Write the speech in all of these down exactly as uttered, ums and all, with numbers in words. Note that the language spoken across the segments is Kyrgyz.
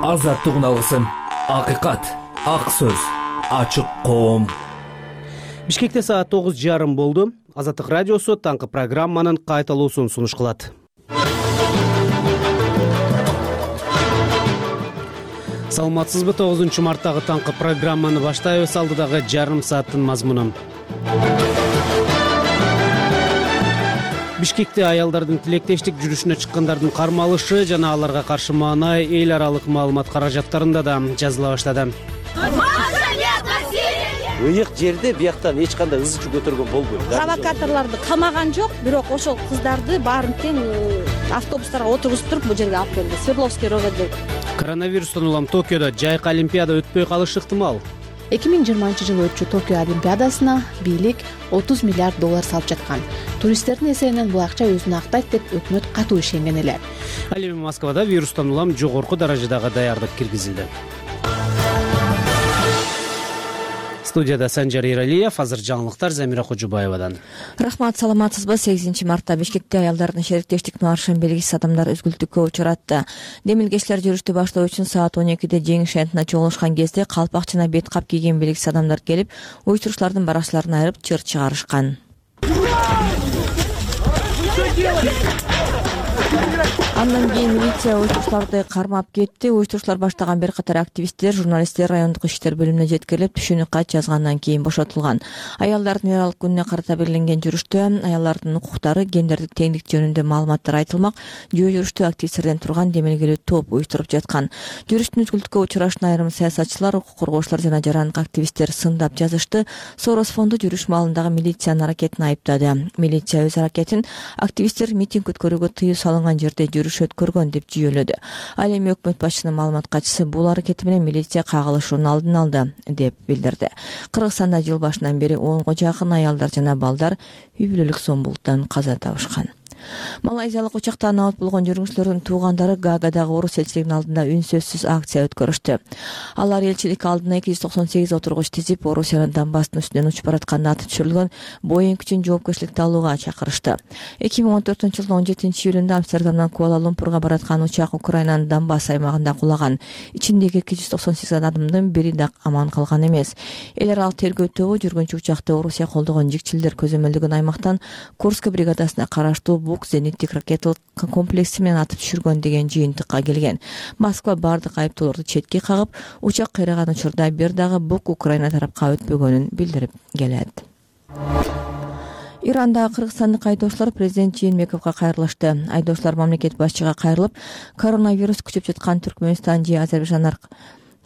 азаттык алгысым, акыйкат, ак сөз, ачык коом. Бишкекте саат тогуз жарым болду. Азаттык радиосу таңкы программанын кайталуусун сунуш кылат. Саламатсызбы? тогузунчу марттагы таңкы программаны баштайбыз. Алдыдагы жарым сааттын мазмунун. Бишкекте аялдардын тилектештик жүрүшүнө чыккандардын кармалышы жана аларга каршы маанай эл аралык маалымат каражаттарында да жазыла баштады. Ыйык жерде бияктан эч кандай ыз чуу көтөргөн болбойт. Провокаторлорду камаган жок, бирок ошол кыздарды баарын тең автобустарга отургузуп туруп бул жерге алып келди. Свердловский районунда. Коронавирустан улам Токиодо жайкы олимпиада өтпөй калышы ыктымал. эки миң жыйырманчы жылы өтчү Токио олимпиадасына бийлик отуз миллиард доллар салып жаткан. Туристтердин эсебинен бул акча өзүн актайт деп өкмөт катуу ишенген эле. Ал эми Москвада вирустан улам жогорку даражадагы даярдык киргизилди. Студияда Санжар Иралиев, азыр жаңылыктар Замира Кожубаевадан. Рахмат, саламатсызбы? сегизинчи мартта Бишкекте аялдардын шериктештик маршын белгисиз адамдар өзгүлтүккө учуратты. Демилгечилер жүрүштү баштоо үчүн саат он экиде жеңиш шентине чогулушкан кезде калпак жана бет кап кийген белгисиз адамдар келип, уюштуруучулардын баракчыларын айырып чыр чыгарышкан. Андан кийин милиция уюштуруучуларды кармап кетти. Уюштуруучулар баштаган бир катар активисттер журналисттер райондук иштер бөлүмүнө жеткирип, түшүнүк кат жазгандан кийин бошотулган. Аялдардын мейрамдык күнүнө карата белгиленген жүрүштө аялдардын укуктары, гендердик теңдик жөнүндө маалыматтар айтылмак. Жөө жүрүштү активисттерден турган демелгелүү топ уюштуруп жаткан. Жүрүштүн үзгүлтүккө учурашына айрым саясатчылар, укук коргоочулар жана жарандык активисттер сындап жазышты. Сорос фонду жүрүш маалындагы милициянын аракетин айыптады. Милиция өз аракетин активисттер митинг өткөрүүгө тыюу салынган жерде жүрүш өткөргөн деп жүйөлөдү. Ал эми өкмөт башчысынын маалымат катчысы бул аракети менен милиция кагылышуунун алдын алды деп билдирди. Кыргызстанда жыл башынан бери онго жакын аялдар жана балдар үй бүлөлүк зомбулуктан каза табышкан. Малайзиялык учактан абат болгон жүргүнчүлөрдүн туугандары Гаагадагы орус элчилигинин алдында үнсөзсүз акция өткөрүштү. Алар элчилик алдына эки жүз токсон сегиз отургуч тизип, Орусиянын Донбасстын үстүнөн учуп баратканда аты түшүрүлгөн Боинг үчүн жоопкерчиликти алууга чакырышты. эки миң он төртүнчү жылдын он жетинчи июлунда Амстердамдан Куала-Лумпурга бараткан учак Украинанын Донбасс аймагында кулаган. Ичиндеги эки жүз токсон сегиз адамдын бири да аман калган эмес. Эл аралык тергөө тобу жүргүнчү учакты Орусия колдогон жикчилдер көзөмөлдөгөн аймактан Курск бригадасына караштуу Бук зениттик ракеталык комплекси менен атып түшүргөн деген жыйынтыкка келген. Москва бардык айыптоолорду четке кагып, учак кыйраган учурда бир дагы Бук Украина тарапка өтпөгөнүн билдирип келет. Иранда кыргызстандык айдоочулар президент Жээнбековго кайрылышты. Айдоочулар мамлекет башчыга кайрылып, коронавирус күчөп жаткан Түркмөнстан же Азербайжан аркылуу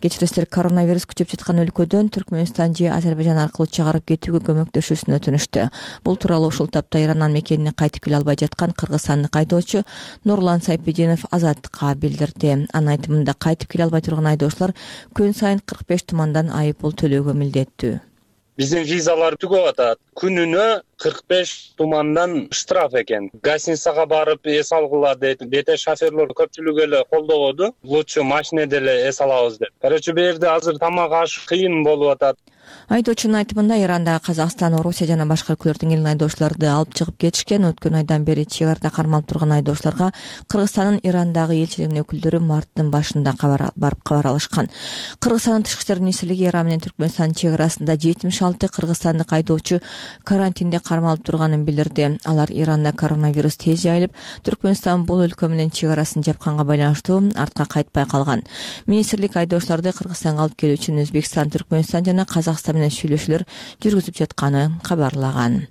Кечиресиздер, коронавирус күчөп жаткан өлкөдөн Түркмөнстан же Азербайжан аркылуу чыгарып кетүүгө көмөктөшүүсүн өтүнүштү. Бул тууралуу ушул тапта Ираннан мекенине кайтып келе албай жаткан кыргызстандык айдоочу Нурлан Сайпединов Азаттыкка билдирди. Анын айтымында кайтып келе албай турган айдоочулар күн сайын кырк беш тумандан айыппул төлөөгө милдеттүү. Биздин визалар түгөп атат. Күнүнө кырк беш тумандан штраф экен. Гостиницага барып эс алгыла дете шоферлор көпчүлүгү эле колдогоду. Лучше машинеде эле эс алабыз деп. Короче, бу жерде азыр тамак аш кыйын болуп атат. Айдоочунун айтымында Иранда Казакстан, Орусия жана башка өлкөлөрдүн элин айдоочуларды алып чыгып кетишкен. Өткөн айдан бери чек арада кармалып турган айдоочуларга Кыргызстандын Ирандагы элчилигинин өкүлдөрү марттын башында кабар барып кабар алышкан. Кыргызстандын тышкы иштер министрлиги Иран менен Түркмөнстан чек арасында жетимиш алты кыргызстандык айдоочу карантинде кармалып турганын билдирди. Алар Иранда коронавирус тез жайылып, Түркмөнстан бул өлкө менен чек арасын жапканга байланыштуу артка кайтпай калган. Министрлик айдоочуларды Кыргызстанга алып келүү үчүн Өзбекстан, Түркмөнстан жана Казакстан менен сүйлөшүүлөр жүргүзүп жатканын кабарлаган.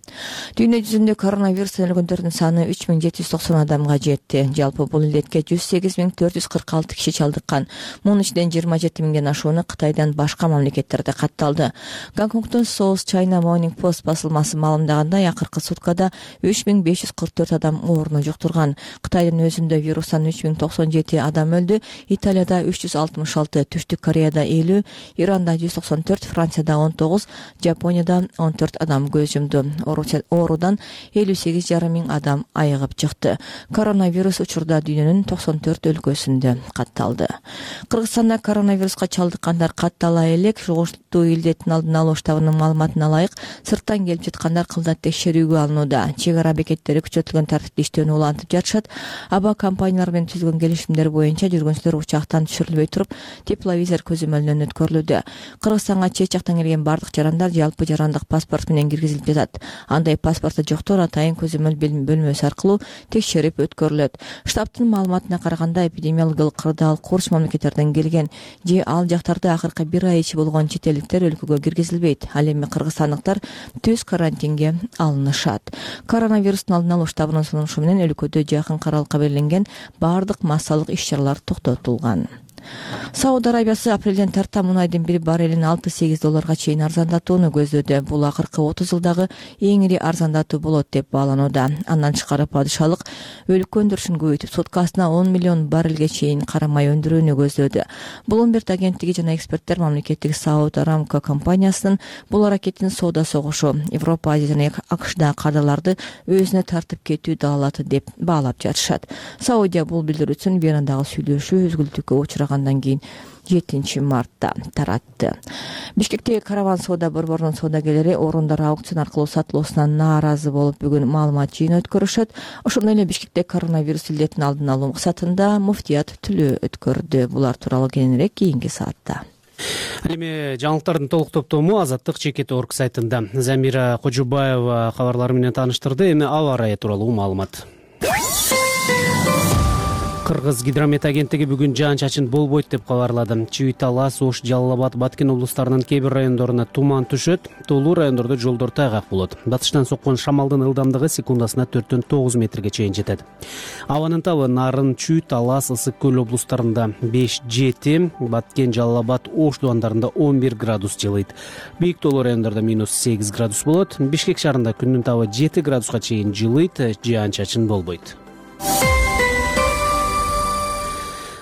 Дүйнө жүзүндө коронавирустан өлгөндөрдүн саны үч миң жети жүз токсон адамга жетти. Жалпы бул илдетке жүз сегиз миң төрт жүз кырк алты киши чалдыккан. Мунун ичинен жыйырма жети миңден ашууну Кытайдан башка мамлекеттерде катталды. Гонконгдун South China Morning Post басылмасы маалымдагандай, акыркы суткада үч миң беш жүз кырк төрт адам ооруну жуктурган. Кытайдын өзүндө вирустан үч миң токсон жети адам өлдү. Италияда үч жүз алтымыш алты, Түштүк Кореяда элүү, Иранда жүз токсон төрт, Францияда он тогуз, Жапонияда он төрт адам көз жумду. Оорудан элүү сегиз жарым миң адам айыгып чыкты. Коронавирус учурда дүйнөнүн токсон төрт өлкөсүндө катталды. Кыргызстанда коронавируска чалдыккандар каттала элек. Жугуштуу илдеттин алдын алуу штабынын маалыматына ылайык, сырттан келип жаткандар кылдат текшерүүгө алынууда. Чек ара бекеттери күчөтүлгөн тартипте иштөөнү улантып жатышат. Аба компаниялар менен түзүлгөн келишимдер боюнча жүргүнчүлөр учактан түшүрүлбөй туруп, тепловизор көзөмөлүнөн өткөрүлүүдө. Кыргызстанга чет жактан келген бардык жарандар жалпы жарандык паспорт менен киргизилип жатат. Андай паспорту жоктор атайын көзөмөл бөлмөсү аркылуу текшерип өткөрүлөт. Штабтын маалыматына караганда, эпидемиологиялык кырдаал курч мамлекеттерден келген же ал жактарда акыркы бир ай ичи болгон чет элдиктер өлкөгө киргизилбейт. Ал эми кыргызстандыктар түз карантинге алынышат. Коронавирустун алдын алуу штабынын сунушу менен өлкөдө жакын аралыкка белгиленген бардык массалык иш-чаралар токтотулган. Сауд Арабиясы апрелден тарта мунайдын бир баррелин алты-сегиз долларга чейин арзандатууну көздөдө. Бул акыркы отуз жылдагы эң ири арзандатуу болот деп бааланууда. Андан тышкары падышалык өлкө өндүрүшүн көбөйтүп, суткасына он миллион баррелге чейин кара май өндүрүүнү көздөдү. Bloomberg агенттиги жана эксперттер мамлекеттик Сауд Арамко компаниясынын бул аракетин соода согушу Европа, Азия жана АКШдагы кардаларды өзүнө тартып кетүү далалаты деп баалап жатышат. Саудия бул билдирүүсүн Венадагы сүйлөшүү үзгүлтүккө учураган андан кийин жетинчи мартта таратты. Бишкектеги караван соода борборунун соодагерлери орундар аукцион аркылуу сатылуусунан нааразы болуп бүгүн маалымат жыйыны өткөрүшөт. Ошондой эле Бишкекте коронавирус илдетин алдын алуу максатында муфтият түлөө өткөрдү. Булар тууралуу кийинирээк кийинки саатта. Ал эми жаңылыктардын толук топтому Азаттык Чекит точка орг сайтында. Замира Кожубаева кабарлары менен тааныштырды. Эми аба ырайы тууралуу маалымат. Кыргыз гидромет агенттиги бүгүн жаан-чачын болбойт деп кабарлады. Чүй, Талас, Ош, Жалал Абад, Баткен облустарынын кээ бир райондоруна туман түшөт. Тоолуу райондордо жолдор тайгак болот. Батыштан соккон шамалдын ылдамдыгы секундасына төрттөн тогуз метрге чейин жетет. Абанын табы Нарын, Чүй, Талас, Ысык көл облустарында беш жети, Баткен, Жалал Абад, Ош дубандарында он бир градус жылыйт. Бийик тоолуу райондордо минус сегиз градус болот. Бишкек шаарында күндүн табы жети градуска чейин жылыйт, жаан-чачын болбойт.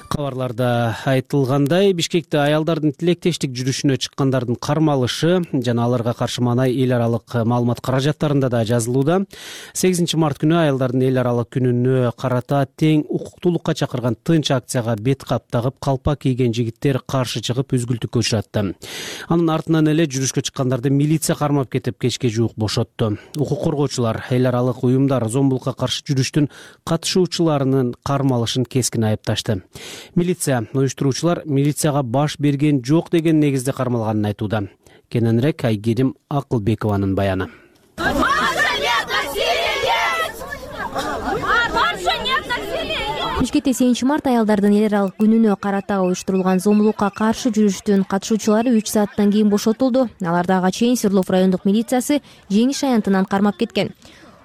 Кабарларда айтылгандай, Бишкекте аялдардын тилектештик жүрүшүнө чыккандардын кармалышы жана аларга каршы маанай эл аралык маалымат каражаттарында да жазылууда. сегизинчи март күнү аялдардын эл аралык күнүнө карата тең укуктуулукка чакырган тынч акцияга бет кап тагып, калпак кийген жигиттер каршы чыгып үзгүлтүккө учуратты. Анын артынан эле жүрүшкө чыккандарды милиция кармап кетип, кечке жуук бошотту. Укук коргоочулар эл аралык уюмдар зомбулукка каршы жүрүштүн катышуучуларынын кармалышын кескин айыпташты. Милиция уюштуруучулар милицияга баш берген жок деген негизде кармалганын айтууда. Кененирээк Айгерим Акылбекованын баяны. Бишкекте сегизинчи март аялдардын эл аралык күнүнө карата уюштурулган зомбулукка каршы жүрүштүн катышуучулары үч сааттан кийин бошотулду. Аларды ага чейин Свердлов райондук милициясы жеңиш аянтынан кармап кеткен.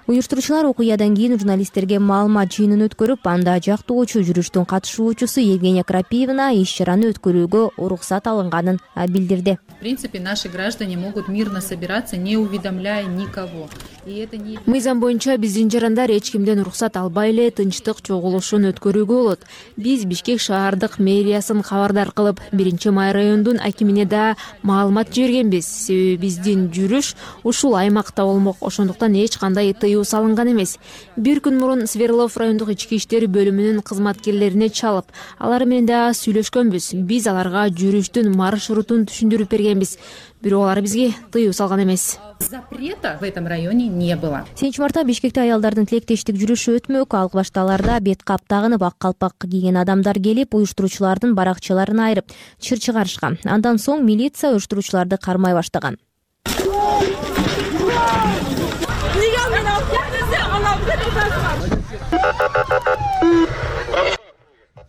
Уюштуруучулар окуядан кийин журналисттерге маалымат жыйынын өткөрүп, анда жактоочу жүрүштүн катышуучусу Евгения Крапивина иш-чараны өткөрүүгө уруксат алынганын билдирди. В принципе, наши граждане могут мирно собираться, не уведомляя никого. И это не... Мыйзам боюнча биздин жарандар эч кимден уруксат албай эле тынчтык чогулушун өткөрүүгө болот. Биз Бишкек шаардык мэриясын кабардар кылып, биринчи май райондун акимине да маалымат жибергенбиз. Себеби биздин жүрүш ушул аймакта болмок, ошондуктан эч кандай тыюу салынган эмес. Бир күн мурун Свердлов райондук ички иштер бөлүмүнүн кызматкерлерине чалып, алар менен да сүйлөшкөнбүз. Биз аларга жүрүштүн маршрутун түшүндүрүп бергенбиз. Бирок алар бизге тыюу салган эмес. Запрета в этом районе не было. сегизинчи мартта Бишкекте аялдардын тилектештик жүрүшү өтмөк. Ал башталарда бет кап тагынып, ак калпак кийген адамдар келип, уюштуруучулардын баракчаларын айырып, чыр чыгарышкан. Андан соң милиция уюштуруучуларды кармай баштаган.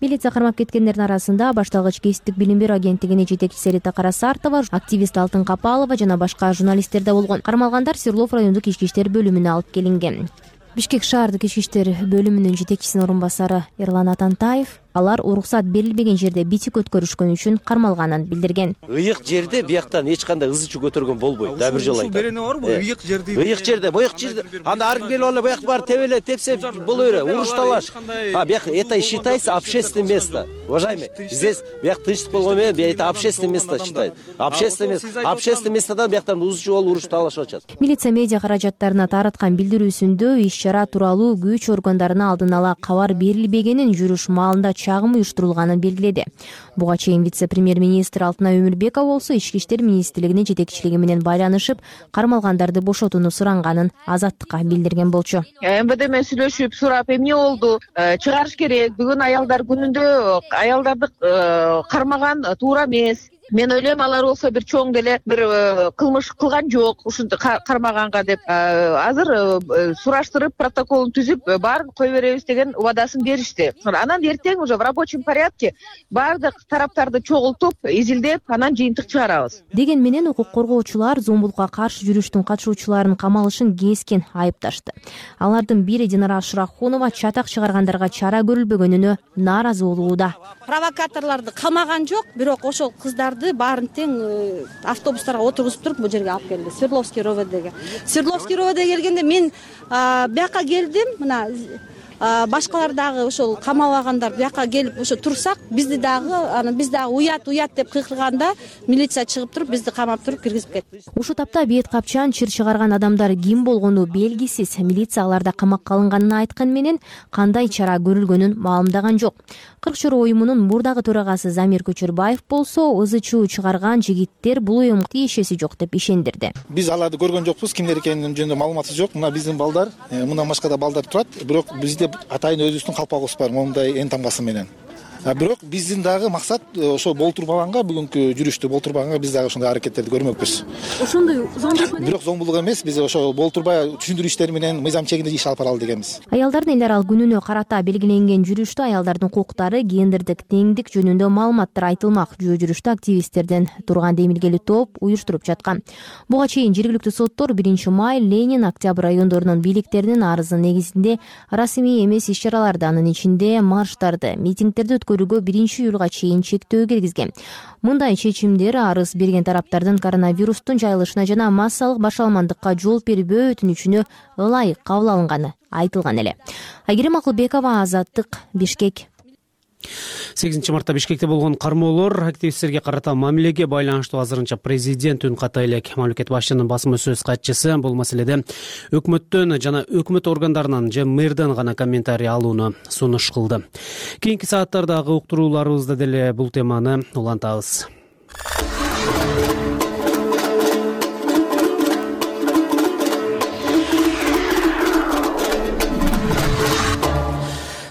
Милиция кармап кеткендердин арасында башталгыч кесиптик билим берүү агенттигинин жетекчиси Рита Карасартова, активист Алтын Капалова жана башка журналисттер да болгон. Кармалгандар Свердлов райондук ички иштер бөлүмүнө алып келинген. Бишкек шаардык ички иштер бөлүмүнүн жетекчисинин орун басары Эрлан Атантаев алар уруксат берилбеген жерде битик өткөрүшкөн үчүн кармалганын билдирген. Ыйык жерде бияктан эч кандай ыз чуу көтөргөн болбойт. Да бир жолу айтам. Берене барбы? Ыйык жерде. Ыйык жерде, боюк жерде. Анда ар ким келип алып буяк бар тебеле, тепсе боло бере, уруш талаш. А бияк это считается общественное место. Уважаемые, здесь бияк тынчтык болгон менен это общественное место считается. Общественное место. Общественное местодан бияктан ыз чуу болуп уруш талашып атышат. Милиция медиа каражаттарына тараткан билдирүүсүндө иш-чара тууралуу күч органдарына алдын ала кабар берилбегенин, жүрүш маалында чагым уюштурулганын белгиледи. Буга чейин вице-премьер-министр Алтынай Өмүрбекова болсо Ички иштер министрлигинин жетекчилиги менен байланышып, кармалгандарды бошотууну суранганын Азаттыкка билдирген болчу. эм вэ дэ менен сүйлөшүп сурап эмне болду, чыгарыш керек, бүгүн аялдар күнүндө аялдарды кармаган туура эмес. Мен ойлойм, алар болсо бир чоң деле бир кылмыш кылган жок ушинтип кармаганга деп. Азыр сураштырып, протоколун түзүп, баарын кое беребиз деген убадасын беришти. Анан эртең уже в рабочем порядке баардык тараптарды чогултуп, изилдеп, анан жыйынтык чыгарабыз. Деген менен укук коргоочулар зомбулукка каршы жүрүштүн катышуучуларын камалышын кескен айыпташты. Алардын бири Динара Шырахунова чатак чыгаргандарга чара көрүлбөгөнүнө нааразы болууда. Провокаторлорду камаган жок, бирок ошол кыздар баарын тең автобустарга отургузуп туруп бул жерге алып келди. Свердловский РОВДге. Свердловский РОВДге келгенде мен бияка келдим, мына башкалар дагы ошол камалгандар бияка келип ошо турсак, бизди дагы, анан биз дагы уят, уят деп кыйкырганда милиция чыгып туруп, бизди камап туруп киргизип кетти. Ушул тапта бейт капчан чыр чыгарган адамдар ким болгону белгисиз. Милиция аларда камакка алынганын айткан менен кандай чара көрүлгөнүн маалымдаган жок. Кырк чору уюмунун мурдагы төрагасы Замир Көчөрбаев болсо, ызы чуу чыгарган жигиттер бул уюмга тиешеси жок деп ишендирди. Биз аларды көргөн жокпуз, кимдер экенин жөнүндө маалыматы жок. Мына биздин балдар, мындан башка да балдар турат, бирок бизде атайын өзүбүздүн калпагыбыз бар, момундай эн тамгасы менен. Бирок биздин дагы максат ошо болтурбаганга, бүгүнкү жүрүштү болтурбаганга биз дагы ошондой аракеттерди көрмөкпүз. Ошондой зомбулук менен? Бирок зомбулук эмес, биз ошо болтурбай түшүндүрүү иштери менен мыйзам чегинде иш алып баралы дегенбиз. Аялдардын эл аралык күнүнө карата белгиленген жүрүштө аялдардын укуктары, гендердик теңдик жөнүндө маалыматтар айтылмак. Жөө жүрүштө активисттерден турган демилгелүү топ уюштуруп жаткан. Буга чейин жергиликтүү соттор биринчи май, Ленин, Октябрь райондорунун бийликтеринин арызы негизинде расмий эмес иш-чараларды, анын ичинде марштарды, митингдерди өткөрүүгө биринчи июлга чейин чектөө киргизген. Мындай чечимдер арыз берген тараптардын коронавирустун жайылышына жана массалык башаламандыкка жол бербөө өтүнүчүнө ылайык кабыл алынганы айтылган эле. Айгерим Акылбекова, Азаттык, Бишкек. сегизинчи мартта Бишкекте болгон кармоолор активисттерге карата мамилеге байланыштуу азырынча президент үн ката элек. Мамлекет башчынын басма сөз катчысы бул маселеде өкмөттөн жана өкмөт органдарынан же мэрден гана комментарий алууну сунуш кылды. Кийинки сааттардагы уктурууларыбызда деле бул теманы улантабыз.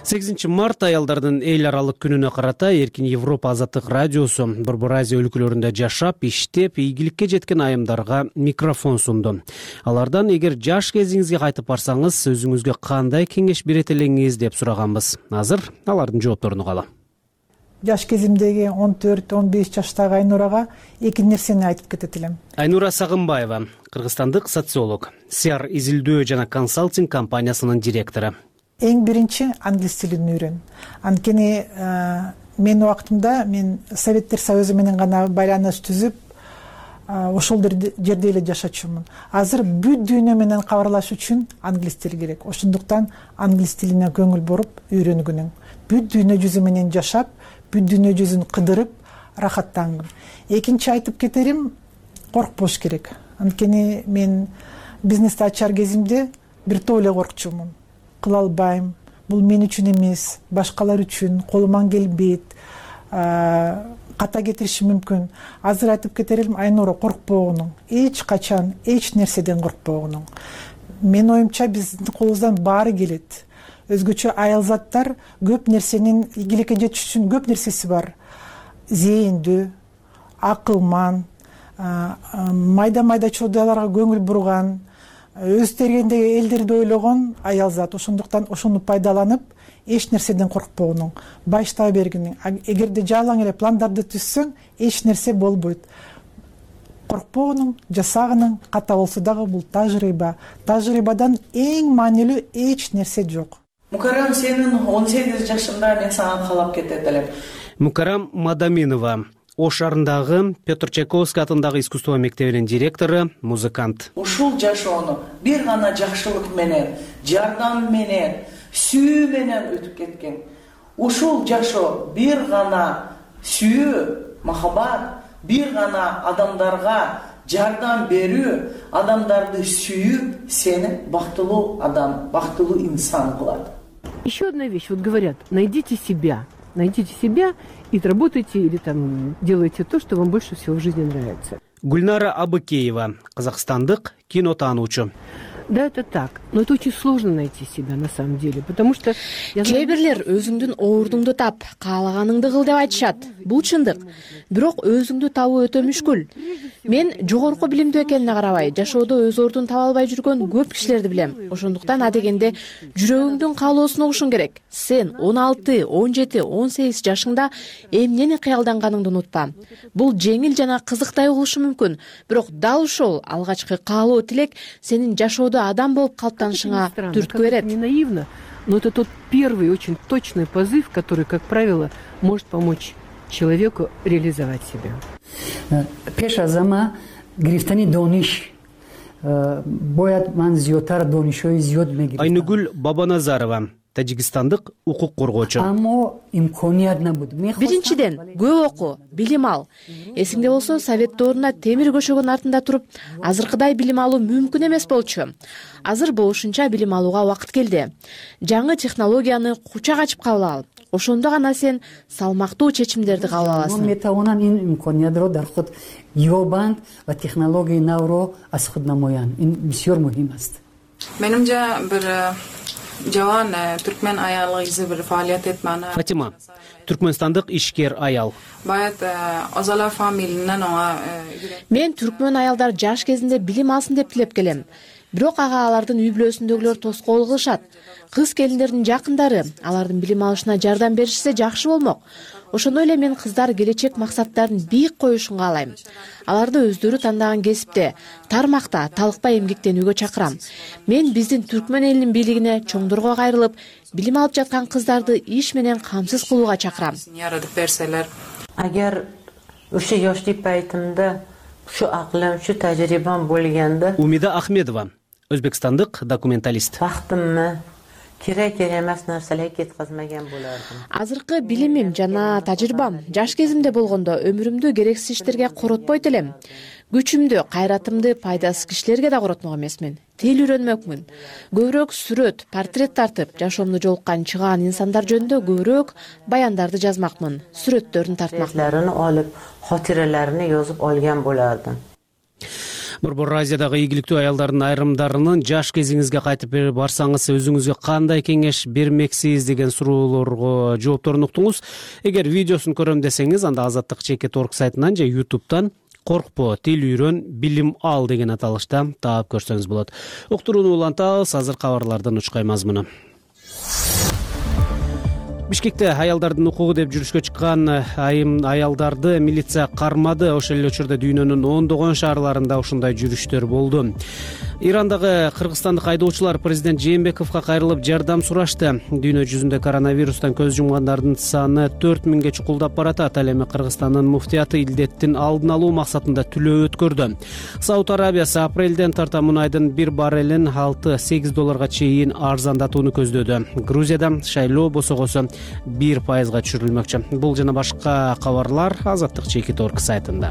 сегизинчи март аялдардын эл аралык күнүнө карата Эркин Европа Азаттык радиосу Борбор Азия өлкөлөрүндө жашап, иштеп, ийгиликке жеткен айымдарга микрофон сунду. Алардан эгер жаш кезиңизге кайтып барсаңыз, өзүңүзгө кандай кеңеш берет элеңиз деп сураганбыз. Азыр алардын жоопторуну угалы. Жаш кезимдеги он төрт он беш жаштагы Айнурага эки нерсени айтып кетет элем. Айнура Сагынбаева, кыргызстандык социолог, Сиар изилдөө жана консалтинг компаниясынын директору. Эң биринчи англис тилин үйрөн. Анткени мен убактымда мен Советтер Союзу менен гана байланыш түзүп, ошол жерде эле жашачумун. Азыр бүт дүйнө менен кабарлаш үчүн англис тили керек. Ошондуктан англис тилине көңүл буруп үйрөнгүнүң. Бүт дүйнө жүзү менен жашап, бүт дүйнө жүзүн кыдырып, рахаттангын. Экинчи айтып кетерим, коркпош керек. Анткени мен бизнести ачар кезимде бир топ эле коркчумун. Кыла албайм, бул мен үчүн эмес, башкалар үчүн, колуман келбейт, ката кетириши мүмкүн. Азыр айтып кетерим, Айнура, коркпогонуң, эч качан эч нерседен коркпогонуң. Мен оюмча биздин колубуздан баары келет. Өзгөчө аял заттар көп нерсенин ийгиликке жетиш үчүн көп нерсеси бар. Зээндүү, акылман, майда-майда чодойлорго көңүл бурган, өз тергендеги элдерди ойлогон аял зат. Ошондуктан ошону пайдаланып, эч нерседен коркпогонуң, баштай бергиниң. Эгерде жалаң эле пландарды түзсөң, эч нерсе болбойт. Коркпогонуң, жасагының, ката болсо дагы бул тажрыйба. Тажрыйбадан эң маанилүү эч нерсе жок. Мукарам, сенин он сегиз жашында мен сага каалап кетет элем. Мукарам Мадаминова, Ош шаарындагы Петр Чайковский атындагы искусство мектебинин директору, музыкант. Ушул жашоону бир гана жакшылык менен, жардам менен, сүйүү менен өтүп кеткен. Ушул жашоо бир гана сүйүү, махаббат, бир гана адамдарга жардам берүү, адамдарды сүйүү сени бактылуу адам, бактылуу инсан кылат. Еще одна вещь, вот говорят, найдите себя. найдите себя и работайте или там делайте то, что вам больше всего в жизни нравится. Гүлнара Абыкеева, казакстандык кинотаануучу. Да, это так, но это очень сложно найти себя на самом деле, потому что кээ бирлер өзүңдүн ордуңду тап, каалаганыңды кыл деп айтышат. Бул чындык. Бирок өзүңдү табуу өтө мүшкүл. Мен жогорку билимдүү экенине карабай, жашоодо өз ордун таба албай жүргөн көп кишилерди билем. Ошондуктан адегенде жүрөгүңдүн каалоосуна угушуң керек. Сен он алты, он жети, он сегиз жашыңда эмнени кыялданганыңды унутпа. Бул жеңил жана кызыктай угулушу мүмкүн, бирок дал ошол алгачкы каалоо тилек сенин жашоодо адам болуп калыптанышыңа түрткү берет. Не наивно, но это тот первый очень точный позыв, который, как правило, может помочь человеку реализовать себя. Пеш аз ҳама гирифтани дониш бояд ман зиёдтар донишҳои зиёд мегирифтам. Айнугүл Бабаназарова, тажикстандык укук коргоочу. Аммо имконият набуд. Биринчиден, көп оку, билим ал. Эсиңде болсо, совет доорунда темир көшөгөнүн артында туруп, азыркыдай билим алуу мүмкүн эмес болчу. Азыр болушунча билим алууга убакыт келди. Жаңы технологияны кучак ачып кабыл ал. Ошондо гана сен салмактуу чечимдерди кабыл аласың. Метавонанд ин имкониятро дар худ ёбанд ва технологияи навро аз худ намоянд. Ин бисёр муҳим аст. Менимче бир жаван түркмен аялы изи бир фаалият этмени. Фатима, түркмөнстандык ишкер аял. Баят Озала фамилиянан оңа. Мен түркмөн аялдар жаш кезинде билим алсын деп тилеп келем. Бирок ага алардын үй бүлөсүндөгүлөр тоскоол кылышат. Кыз келиндердин жакындары алардын билим алышына жардам беришсе жакшы болмок. Ошондой эле мен кыздар келечек максаттарын бийик коюшун каалайм. Аларды өздөрү тандаган кесипте, тармакта талыкпай эмгектенүүгө чакырам. Мен биздин түркмөн элинин бийлигине чоңдорго кайрылып, билим алып жаткан кыздарды иш менен камсыз кылууга чакырам. Агер ошо yoshlik paytimda shu aqlim, shu tajribam bo'lganda. Умида Ахмедова, өзбекстандык документалист. Vaqtimni керек эмес нерселерге кеткизмеген болардым. Азыркы билимим жана тажрыйбам жаш кезимде болгондо өмүрүмдү керексиз иштерге коротпойт элем. Күчүмдү, кайратымды пайдасыз кишилерге да коротмок эмесмин. Тил үйрөнмөкмүн. Көбүрөөк сүрөт, портрет тартып, жашоомдо жолуккан чыгаан инсандар жөнүндө көбүрөөк баяндарды жазмакмын, сүрөттөрүн тартмакмын. Olib, xotiralarini yozib olgan bo'lardim. Борбор Азиядагы ийгиликтүү аялдардын айрымдарынын жаш кезиңизге кайтып барсаңыз өзүңүзгө кандай кеңеш бермексиз деген суроолорго жоопторун уктуңуз. Эгер видеосун көрөм десеңиз, анда Азаттык чекит точка орг сайтынан же ютубтан коркпо, тил үйрөн, билим ал деген аталышта таап көрсөңүз болот. Уктурууну улантабыз, азыр кабарлардын учкай мазмуну. Бишкекте аялдардын укугу деп жүрүшкө чыккан айым аялдарды милиция кармады. Ошол эле учурда дүйнөнүн ондогон шаарларында ушундай жүрүштөр болду. Ирандагы кыргызстандык айдоочулар президент Жээнбековго кайрылып жардам сурашты. Дүйнө жүзүндө коронавирустан көз жумгандардын саны төрт миңге чукулдап баратат. Ал эми Кыргызстандын муфтияты илдеттин алдын алуу максатында түлөө өткөрдү. Сауд Арабиясы апрелден тарта мунайдын бир баррелин алты сегиз долларга чейин арзандатууну көздөдү. Грузияда шайлоо босогосу бир пайызга түшүрүлмөкчү. Бул жана башка кабарлар Азаттык чекит точка орг сайтында.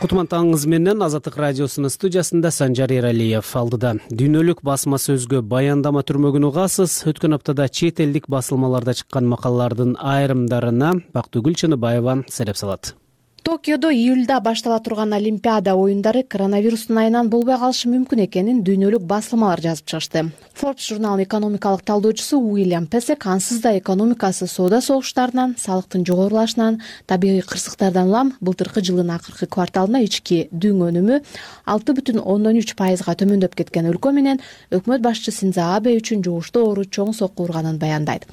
Кутман таңыңыз менен Азаттык радиосунун студиясында Санжар Эралиев. Алдыда дүйнөлүк басма сөзгө баяндама түрмөгүн угасыз. Өткөн аптада чет элдик басылмаларда чыккан макалалардын айрымдарына Бактыгүл Чыныбаева сереп салат. Токиодо июлда баштала турган Олимпиада оюндары коронавирустун айынан болбой калышы мүмкүн экенин дүйнөлүк басылмалар жазып чыгышты. Forbes журналынын экономикалык талдоочусу Уильям Песек ансыз да экономикасы соода согуштарынан, салыктын жогорулашынан, табигый кырсыктардан улам былтыркы жылдын акыркы кварталына ички дүң өнүмү алты бүтүн ондон үч пайызга төмөндөп кеткен өлкө менен өкмөт башчы Синдзо Абе үчүн жугуштуу оору чоң сокку урганын баяндайт.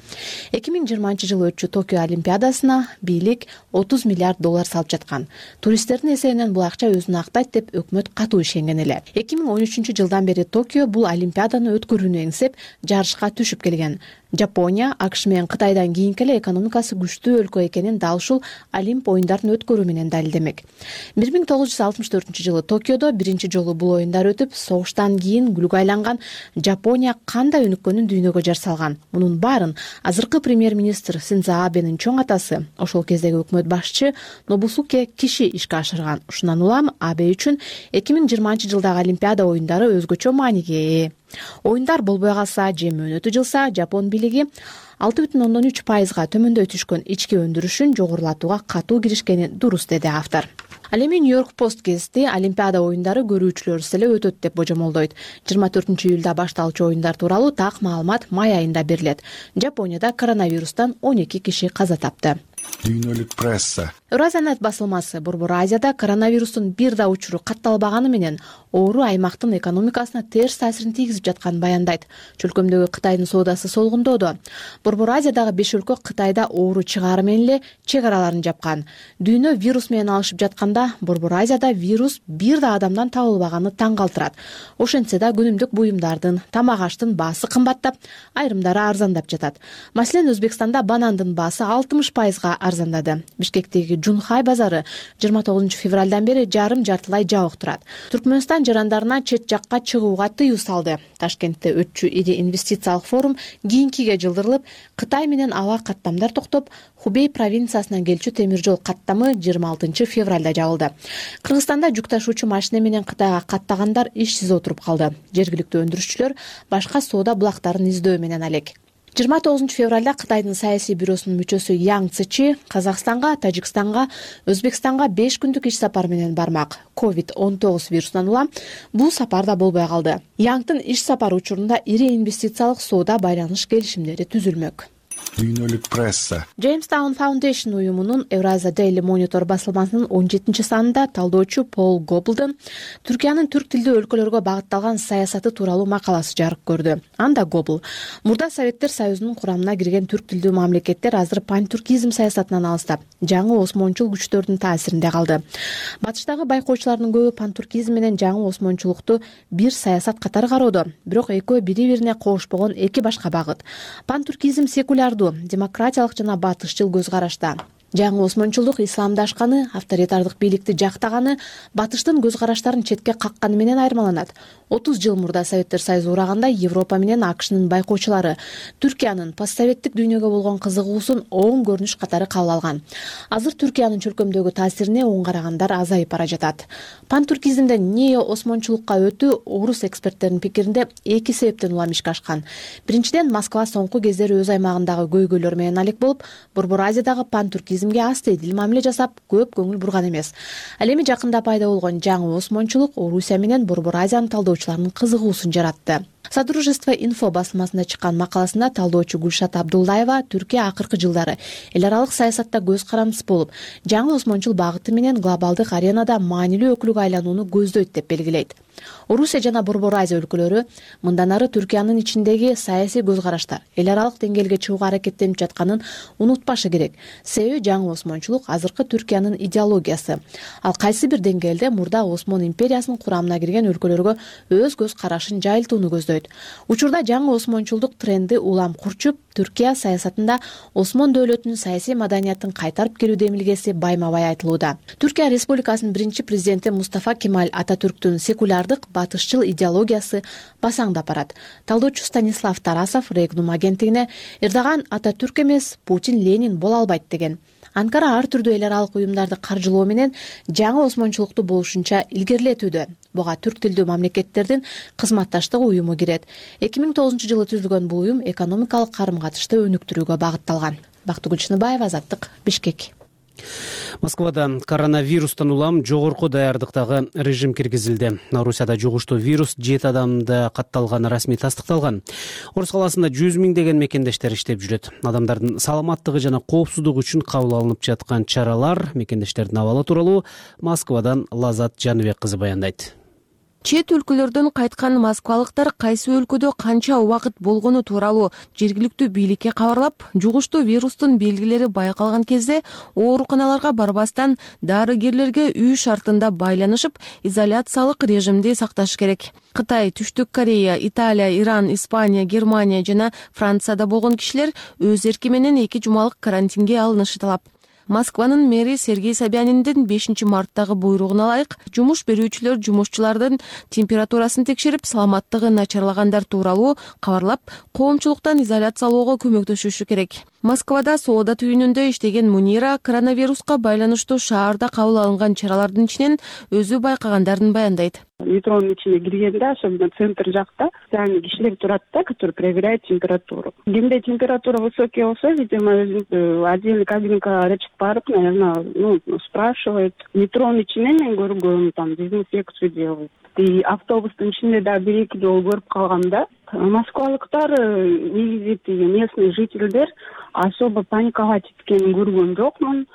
эки миң жыйырманчы жылы өтчү Токио Олимпиадасына бийлик отуз миллиард доллар салып жаткан. Туристтердин эсебинен бул акча өзүн актайт деп өкмөт катуу ишенген эле. эки миң он үчүнчү жылдан бери Токио бул Олимпиаданы өткөрүүнү эңсеп жарышка түшүп келген. Жапония, АКШ менен Кытайдан кийинки эле экономикасы күчтүү өлкө экенин дал ушул Олимп оюндарын өткөрүү менен далилдемек. бир миң тогуз жүз алтымыш төртүнчү жылы Токиодо биринчи жолу бул оюндар өтүп, согуштан кийин күлгө айланган Жапония кандай өнүккөнүн дүйнөгө жар салган. Мунун баарын азыркы премьер-министр Синдзо Абенин чоң атасы, ошол кездеги өкмөт башчы Нобусуке Киши ишке ашырган. Ушундан улам Абе үчүн эки миң жыйырманчы жылдагы Олимпиада оюндары өзгөчө мааниге ээ. Оюндар болбой калса же мөөнөтү жылса, Жапон бийлиги алты бүтүн ондон үч пайызга төмөндөй түшкөн ички өндүрүшүн жогорулатууга катуу киришкени дурус, деди автор. Ал эми Нью-Йорк Пост гезити Олимпиада оюндары көрүүчүлөрсүз эле өтөт деп божомолдойт. жыйырма төртүнчү июлда башталчу оюндар тууралуу так маалымат май айында берилет. Жапонияда коронавирустан он эки киши каза тапты. Дүйнөлүк пресса. Евразиянет басылмасы Борбор Азияда коронавирустун бир да учуру катталбаганы менен оору аймактын экономикасына терс таасирин тийгизип жатканын баяндайт. Чөлкөмдөгү Кытайдын соодасы солгундоодо. Борбор Азиядагы беш өлкө Кытайда оору чыгаары менен эле чек араларын жапкан. Дүйнө вирус менен алышып жатканда Борбор Азияда вирус бир да адамдан табылбаганы таң калтырат. Ошентсе да күнүмдүк буюмдардын, тамак аштын баасы кымбаттап, айрымдары арзандап жатат. Маселен, Өзбекстанда банандын баасы алтымыш пайызга арзандады. Бишкектеги Жунхай базары жыйырма тогузунчу февралдан бери жарым жартылай жабык турат. Түркмөнстан жарандарына чет жакка чыгууга тыюу салды. Ташкентте өтчү ири инвестициялык форум кийинкиге жылдырылып, Кытай менен аба каттамдар токтоп, Хубей провинциясынан келчү темир жол каттамы жыйырма алтынчы февралда жабылды. Кыргызстанда жүк ташуучу машина менен Кытайга каттагандар ишсиз отуруп калды. Жергиликтүү өндүрүшчүлөр башка соода булактарын издөө менен алек. жыйырма тогузунчу февралда Кытайдын саясий бюросунун мүчөсү Яң Цычи Казакстанга, Тажикстанга, Өзбекстанга беш күндүк иш сапар менен бармак. ковид он тогуз вирусунан улам бул сапар да болбой калды. Яңдын иш сапары учурунда ири инвестициялык соода байланыш келишимдери түзүлмөк. Дүйнөлүк пресса. Jamestown Foundation уюмунун Eurasia Daily Monitor басылмасынын он жетинчи санында талдоочу Пол Гоблдун Түркиянын түрк тилдүү өлкөлөргө багытталган саясаты тууралуу макаласы жарык көрдү. Анда Гобл мурда Советтер Союзунун курамына кирген түрк тилдүү мамлекеттер азыр пантүркизм саясатынан алыстап, жаңы осмончул күчтөрдүн таасиринде калды. Батыштагы байкоочулардын көбү пантүркизм менен жаңы осмончулукту бир саясат катары кароодо, бирок экөө бири-бирине кошпогон эки башка багыт. Пантүркизм секулярдуу, демократиялык жана батышчыл көз карашта. Жаңы осмончулдук исламдашканы, авторитардык бийликти жактаганы, батыштын көз караштарын четке какканы менен айырмаланат. отуз жыл мурда Советтер Союзу ураганда Европа менен АКШнын байкоочулары Түркиянын постсоветтик дүйнөгө болгон кызыгуусун оң көрүнүш катары кабыл алган. Азыр Түркиянын чөлкөмдөгү таасирине оң карагандар азайып бара жатат. Пантүркизмден нео осмончулукка өтүү орус эксперттеринин пикиринде эки себептен улам ишке ашкан. Биринчиден, Москва соңку кездери өз аймагындагы көйгөйлөр менен алек болуп, Борбор Азиядагы пантүркизмге астейдил мамиле жасап, көп көңүл бурган эмес. Ал эми жакында пайда болгон жаңы осмончулук Орусия менен Борбор Азиянын талдоочуларынын кызыгуусун жаратты. Содружество инфо басылмасында чыккан макаласында талдоочу Гүлшат Абдуллаева Түркия акыркы жылдары эл аралык саясатта көз карандысы болуп, жаңы осмончул багыты менен глобалдык аренада маанилүү өкүлгө айланууну көздөйт деп белгилейт. Орусия жана Борбор Азия өлкөлөрү мындан ары Түркиянын ичиндеги саясий көз караштар эл аралык деңгээлге чыгууга аракеттенип жатканын унутпашы керек. Себеби жаңы осмончулук азыркы Түркиянын идеологиясы. Ал кайсы бир деңгээлде мурда Осмон империясынын курамына кирген өлкөлөргө өз көз карашын жайылтууну көздөйт. Учурда жаңы осмончулдук тренди улам курчуп, Түркия саясатында Осмон дөөлөтүнүн саясий маданиятын кайтарып келүү демилгеси байма-бай айтылууда. Түркия Республикасынын биринчи президенти Мустафа Кемаль Ататүрктүн секулярдык батышчыл идеологиясы басаңдап барат. Талдоочу Станислав Тарасов Регнум агенттигине Эрдоган Ататүрк эмес, Путин Ленин боло албайт деген. Анкара ар түрдүү эл аралык уюмдарды каржылоо менен жаңы осмончулукту болушунча илгерилетүүдө. Буга түрк тилдүү мамлекеттердин кызматташтык уюму кирет. эки миң тогузунчу жылы түзүлгөн бул уюм экономикалык карым-катышты өнүктүрүүгө багытталган. Бактыгүл Чыныбаева, Азаттык, Бишкек. Москвада коронавирустан улам жогорку даярдыктагы режим киргизилди. Орусияда жугуштуу вирус жети адамда катталганы расмий тастыкталган. Орус каласында жүз миңдеген мекендештер иштеп жүрөт. Адамдардын саламаттыгы жана коопсуздугу үчүн кабыл алынып жаткан чаралар, мекендештердин абалы тууралуу Москвадан Лазат Жаныбек кызы баяндайт. Чет өлкөлөрдөн кайткан москвалыктар кайсы өлкөдө канча убакыт болгону тууралуу жергиликтүү бийликке кабарлап, жугуштуу вирустун белгилери байкалган кезде ооруканаларга барбастан дарыгерлерге үй шартында байланышып, изоляциялык режимди сакташ керек. Кытай, Түштүк Корея, Италия, Иран, Испания, Германия жана Францияда болгон кишилер өз эрки менен эки жумалык карантинге алынышы талап. Москванын мэри Сергей Собяниндин бешинчи марттагы буйругуна ылайык жумуш берүүчүлөр жумушчулардын температурасын текшерип, саламаттыгы начарлагандар тууралуу кабарлап, коомчулуктан изоляциялоого көмөктөшүшү керек. Москвада соода түйүнүндө иштеген Мунира коронавируска байланыштуу шаарда кабыл алынган чаралардын ичинен өзү байкагандарын баяндайт. Метронун ичине киргенде, особенно центр жакта, специальный кишилер турат да, которые проверяют температуру. Кимде температура высокая болсо, видимо, отдельный кабинкага чыгып барып, наверное, ну, спрашивает. Метронун ичинен мен көргөм, там дезинфекцию делают. И автобустун ичинде да бир-эки жолу көрүп калгам да. Москвалыктар, негизи местный жительдер особо паникага кеткенин көргөн жокмун.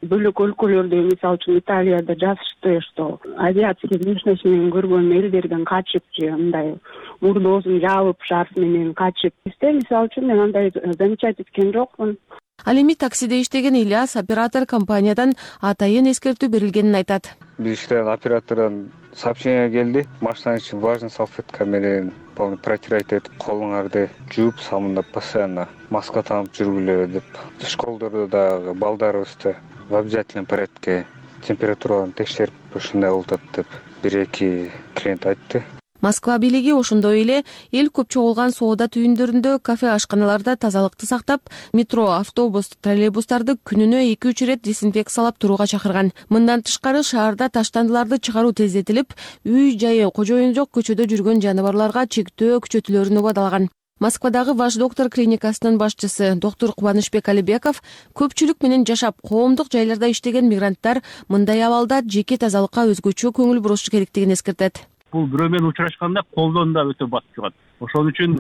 Бөлөк өлкөлөрдө, мисалы үчүн Италияда жазышты, что авиация внешность менен көргөн элдерден качып же мындай мурдоосун жаабып шарф менен качып. Бизде мисалы үчүн мен андай замечать эткен жокмун. Ал эми таксиде иштеген Ильяс оператор компаниядан атайын эскертүү берилгенин айтат. Биз иштеген оператордон сообщение келди. Машинанын ичин влажный салфетка менен полный протирать этип, колуңарды жууп, самында постоянно маска таанып жүргүлө деп. Школдордо дагы балдарыбызды в обязательном порядке температураны текшерип ушундай болуп деп бир-эки клиент айтты. Москва бийлиги ошондой эле эл көп чогулган соода түйүндөрүндө, кафе, ашканаларда тазалыкты сактап, метро, автобус, троллейбустарды күнүнө эки-үч ирет дезинфекциялап турууга чакырган. Мындан тышкары шаарда таштандыларды чыгаруу тездетилип, үй-жайы кожоюн жок көчөдө жүргөн жаныбарларга чектөө күчөтүлөрүн убадалаган. Москвадагы Ваш доктор клиникасынын башчысы доктор Кубанычбек Алибеков көпчүлүк менен жашап, коомдук жайларда иштеген мигранттар мындай абалда жеке тазалыкка өзгөчө көңүл бурушу керектигин эскертет. Бул бирөө менен учурашканда колдон да өтө батып чыгат. Ошон үчүн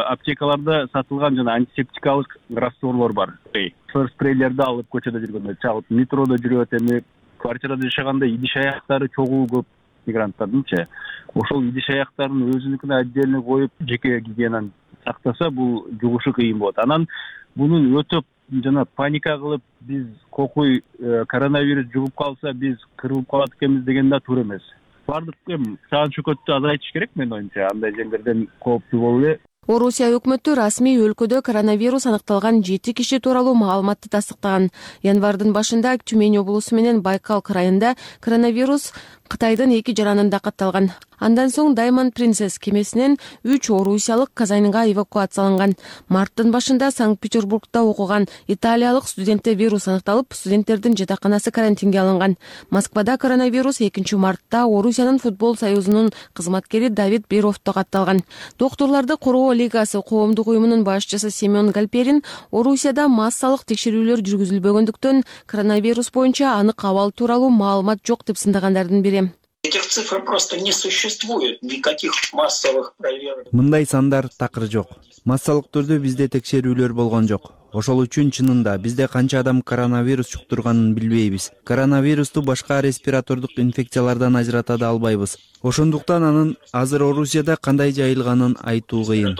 аптекаларда сатылган жана антисептикалык растворлор бар. Ошол спрейлерди алып көчөдө жүргөндө чалып, метродо жүрүп эми квартирада жашаганда идиш аяктары чогуу көп мигранттардынчы. Ошол идиш аяктарын өзүнүкүнө отдельно коюп, жеке гигиенаны сактаса, бул жугушу кыйын болот. Анан мунун өтөп жана паника кылып, биз кокуй коронавирус жугуп калса, биз кырылып калат экенбиз деген да туура эмес. Бардык эми саан чөкөттү азайтыш керек менин оюмча, андай жерлерден кооптуу болуп эле. Орусия өкмөтү расмий өлкөдө коронавирус аныкталган жети киши тууралуу маалыматты тастыктаган. Январдын башында Тюмень облусу менен Байкал крайында коронавирус Кытайдын эки жаранында катталган. Андан соң Diamond Princess кемесинен үч орусиялык Казанга эвакуацияланган. Марттын башында Санкт-Петербургда окуган италиялык студентте вирус аныкталып, студенттердин жатаканасы карантинге алынган. Москвада коронавирус экинчи мартта Орусиянын футбол союзунун кызматкери Давид Беровто катталган. Доктурларды коргоо лигасы коомдук уюмунун башчысы Семен Гальперин Орусияда массалык текшерүүлөр жүргүзүлбөгөндүктөн коронавирус боюнча анык абал тууралуу маалымат жок деп сындагандардын бири. Этих цифр просто не существует, никаких массовых проверок. Мындай сандар такыр жок. Массалык түрдө бизде текшерүүлөр болгон жок. Ошол үчүн чынында бизде канча адам коронавирус жуктурганын билбейбиз. Коронавирусту башка респиратордук инфекциялардан ажырата да албайбыз. Ошондуктан анын азыр Орусияда кандай жайылганын айтуу кыйын.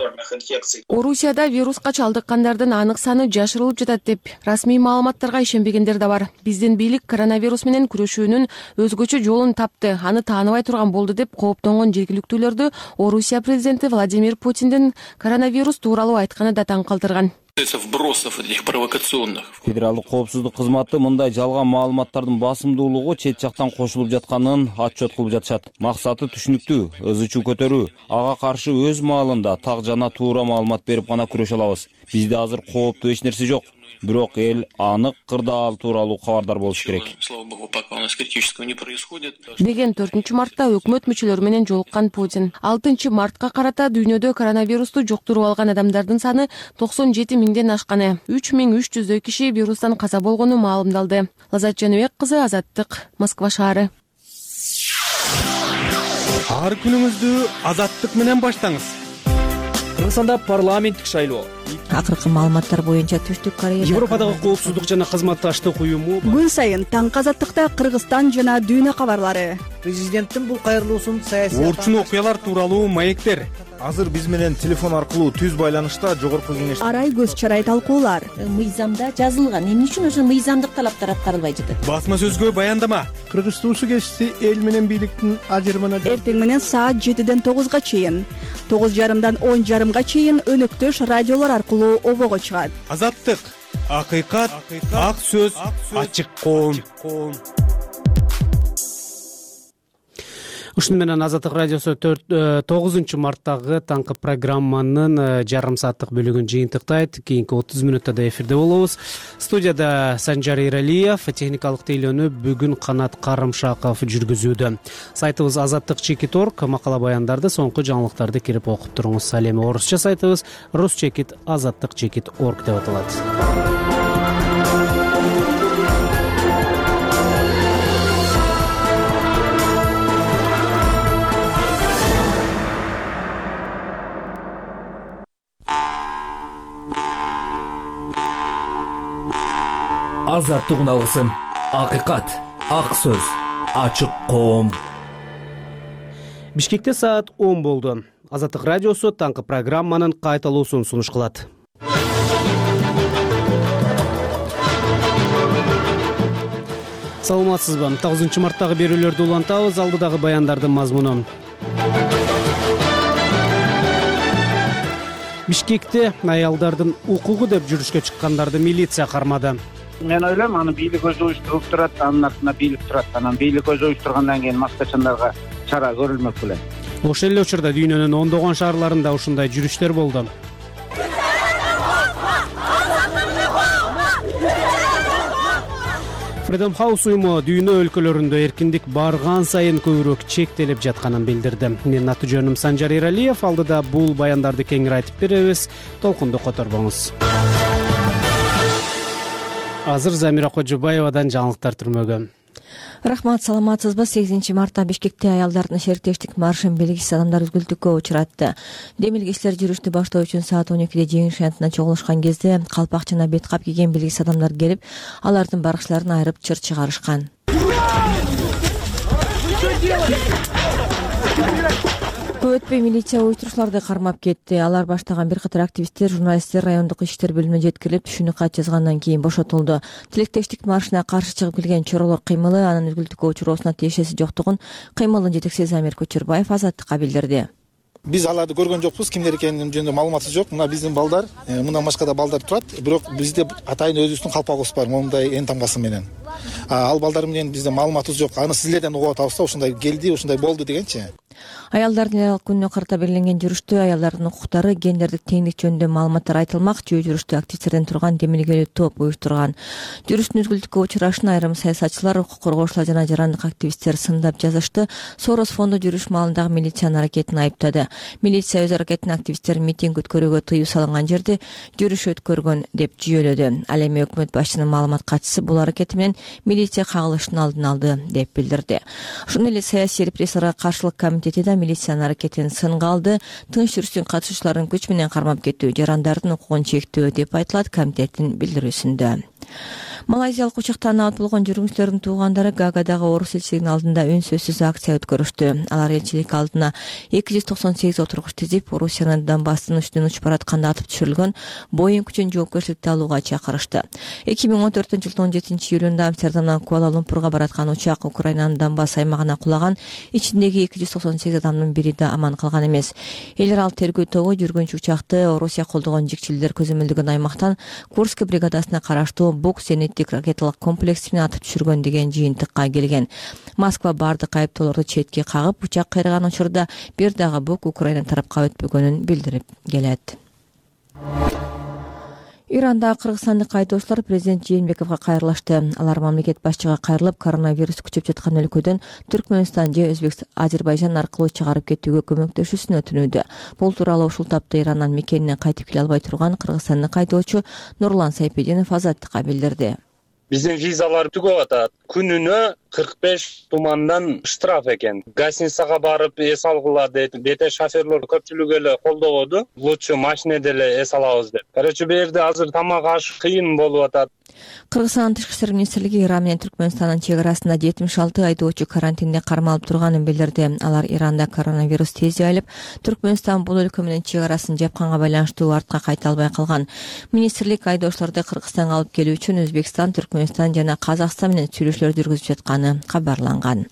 Орусияда вируска чалдыккандардын анык саны жашырылып жатат деп расмий маалыматтарга ишенбегендер да бар. Биздин бийлик коронавирус менен күрөшүүнүн өзгөчө жолун тапты, аны тааныбай турган болду деп кооптонгон жергиликтүүлөрдү Орусия президенти Владимир Путиндин коронавирус тууралуу айтканы да таң калтырган. Вбросов этих провокационных. Федералдык коопсуздук кызматы мындай жалган маалыматтардын басымдуулугу чет жактан кошулуп жатканын отчет кылып жатышат. Максаты түшүнүктүү, ызы-чуу көтөрүү. Ага каршы өз маалында так жана туура маалымат берип гана күрөшө алабыз. Бизде азыр кооптуу эч нерсе жок. Бирок эл анык кырдаал тууралуу кабардар болуш керек. Слава богу, пока у нас критического не происходит. Деген төртүнчү мартта өкмөт мүчөлөрү менен жолуккан Путин алтынчы мартка карата дүйнөдө коронавирусту жуктуруп алган адамдардын саны токсон жети миңден ашканы, үч миң үч жүздөй киши вирустан каза болгону маалымдалды. Лазат Жаныбек кызы, Азаттык, Москва шаары. Ар күнүңүздү Азаттык менен баштаңыз. Кыргызстанда парламенттик шайлоо. Акыркы маалыматтар боюнча Түштүк Корея Европадагы коопсуздук жана кызматташтык уюму күн сайын таңкы Азаттыкта Кыргызстан жана дүйнө кабарлары. Президенттин бул кайрылуусун саясий орчун окуялар тууралуу маектер. Азыр биз менен телефон аркылуу түз байланышта жогорку кеңеш арай көз чарай талкуулар. Мыйзамда жазылган, эмне үчүн ошо мыйзамдык талаптар аткарылбай жатат? Басма сөзгө баяндама. Кыргыз туусу кесиси эл менен бийликтин ажырымына эртең менен саат жетиден тогузга чейин, тогуз жарымдан он жарымга чейин өнөктөш радиолор аркылуу обого чыгат. Азаттык, акыйкат, ак сөз, ачык коом. ушуну менен Азаттык радиосу тогузунчу марттагы таңкы программанын жарым сааттык бөлүгүн жыйынтыктайт. Кийинки отуз мүнөттө эфирде болобуз. Студияда Санжар Иралиев, техникалык тейлөөнү бүгүн Канат Карымшаков жүргүзүүдө. Сайтыбыз азаттык чекит орг, макала баяндарды, соңку жаңылыктарды кирип окуп туруңуз. Ал эми орусча сайтыбыз рус чекит азаттык чекит орг деп аталат. Азаттык алгысын, акыйкат, ак сөз, ачык коом. Бишкекте саат он болду. Азаттык радиосу таңкы программанын кайталуусун сунуш кылат. Саламатсызбы? тогузунчу марттагы берүүлөрдү улантабыз. Алдыдагы баяндардын мазмуну. Бишкекте аялдардын укугу деп жүрүшкө чыккандарды милиция кармады. Мен ойлойм, аны бийлик өзү уюштуруп турат, анын артында бийлик турат. Анан бийлик өзү уюштургандан кийин маскачандарга чара көрүлмөк беле. Ошол эле учурда дүйнөнүн ондогон шаарларында ушундай жүрүштөр болду. Freedom House уюму дүйнө өлкөлөрүндө эркиндик барган сайын көбүрөөк чектелип жатканын билдирди. Менин аты жөнүм Санжар Иралиев. Алдыда бул баяндарды кеңири айтып беребиз. Толкунду которбоңуз. Азыр Замира Кожобаевадан жаңылыктар түрмөгө. Рахмат, саламатсызбы? сегизинчи мартта Бишкекте аялдардын шериктештик маршын белгисиз адамдар үзгүлтүккө учуратты. Демилгечилер жүрүштү баштоо үчүн саат он экиде жеңиш шантына чогулушкан кезде калпак жана бет кап кийген белгисиз адамдар келип, алардын баркычыларын айырып чыр чыгарышкан. Көп өтпөй милиция уюштуруучуларды кармап кетти. Алар баштаган бир катар активисттер журналисттер райондук иштер бөлүмүнө жеткирип, түшүнүк кат жазгандан кийин бошотулду. Тилектештик маршына каршы чыгып келген чоролор кыймылы анын үзгүлтүккө учуроосуна тиешеси жоктугун кыймылдын жетекчиси Замир Көчөрбаев Азаттыкка билдирди. Биз аларды көргөн жокпуз, кимдер экенин жөнүндө маалыматы жок. Мына биздин балдар, мындан башка да балдар турат, бирок бизде атайын өзүбүздүн калпагыбыз бар, момундай эн тамгасы менен. Ал балдар менен бизде маалыматыбыз жок. Аны силерден угуп атабыз да, ушундай келди, ушундай болду дегенчи. Аялдардын эл аралык күнүнө карата белгиленген жүрүштө аялдардын укуктары, гендердик теңдик жөнүндө маалыматтар айтылмак. Жөө жүрүштү активисттерден турган демилгелүү топ уюштурган. Жүрүштүн үзгүлтүккө учурашын айрым саясатчылар, укук коргоочулар жана жарандык активисттер сындап жазышты. Сорос фонду жүрүш маалындагы милициянын аракетин айыптады. Милиция өз аракетин активисттер митинг өткөрүүгө тыюу салынган жерде жүрүш өткөргөн деп жүйөлөдү. Ал эми өкмөт башчынын маалымат катчысы бул аракети менен милиция кагылыштын алдын алды деп билдирди. Ошондой эле саясий репрессияларга каршылык комитети да милициянын аракетин сынга алды. Тынч жүрүштүн катышуучуларын күч менен кармап кетүү, жарандардын укугун чектөө деп айтылат комитеттин билдирүүсүндө. Малайзиялык учактан абат болгон жүргүнчүлөрдүн туугандары Гаагадагы орус элчилигинин алдында үн сөзсүз акция өткөрүштү. Алар элчилик алдына эки жүз токсон сегиз отургуч тизип, Орусиянын Донбасстын үстүнөн учуп баратканда атып түшүрүлгөн Боинг үчүн жоопкерчиликти алууга чакырышты. эки миң он төртүнчү жылдын он жетинчи июлунда Амстердамдан Куала-Лумпурга бараткан учак Украинанын Донбасс аймагына кулаган. Ичиндеги эки жүз токсон сегиз адамдын бири да аман калган эмес. Эл аралык тергөө тобу жүргүнчү учакты Орусия колдогон жикчилдер көзөмөлдөгөн аймактан Курск бригадасына караштуу Бук зениттик ракеталык комплексин атып түшүргөн деген жыйынтыкка келген. Москва бардык айыптоолорду четке кагып, учак кайраган учурда бир дагы Бук Украина тарапка өтпөгөнүн билдирип келет. Иранда кыргызстандык айдоочулар президент Жээнбековго кайрылышты. Алар мамлекет башчыга кайрылып, коронавирус күчөп жаткан өлкөдөн Түркмөнстан же Өзбекстан, Азербайжан аркылуу чыгарып кетүүгө көмөктөшүүсүн өтүнүүдө. Бул тууралуу ушул тапта Ирандан мекенине кайтып келе албай турган кыргызстандык айдоочу Нурлан Сайпединов Азаттыкка билдирди. Биздин визалар түгөп атат. Күнүнө кырк беш тумандан штраф экен. Гостиницага барып эс алгыла дейт. Бете шоферлор көпчүлүгү эле колдободу. Лучше машинеде эле эс алабыз деп. Короче, бу жерде азыр тамак аш кыйын болуп атат. Кыргызстандын тышкы иштер министрлиги Иран менен Түркмөнстандын чек арасында жетимиш алты айдоочу карантинде кармалып турганын билдирди. Алар Иранда коронавирус тез жайылып, Түркмөнстан бул өлкө менен чек арасын жапканга байланыштуу артка кайта албай калган. Министрлик айдоочуларды Кыргызстанга алып келүү үчүн Өзбекстан, Түркмөнстан жана Казакстан менен сүйлөшүп текшерүүлөр жүргүзүп жатканы кабарланган.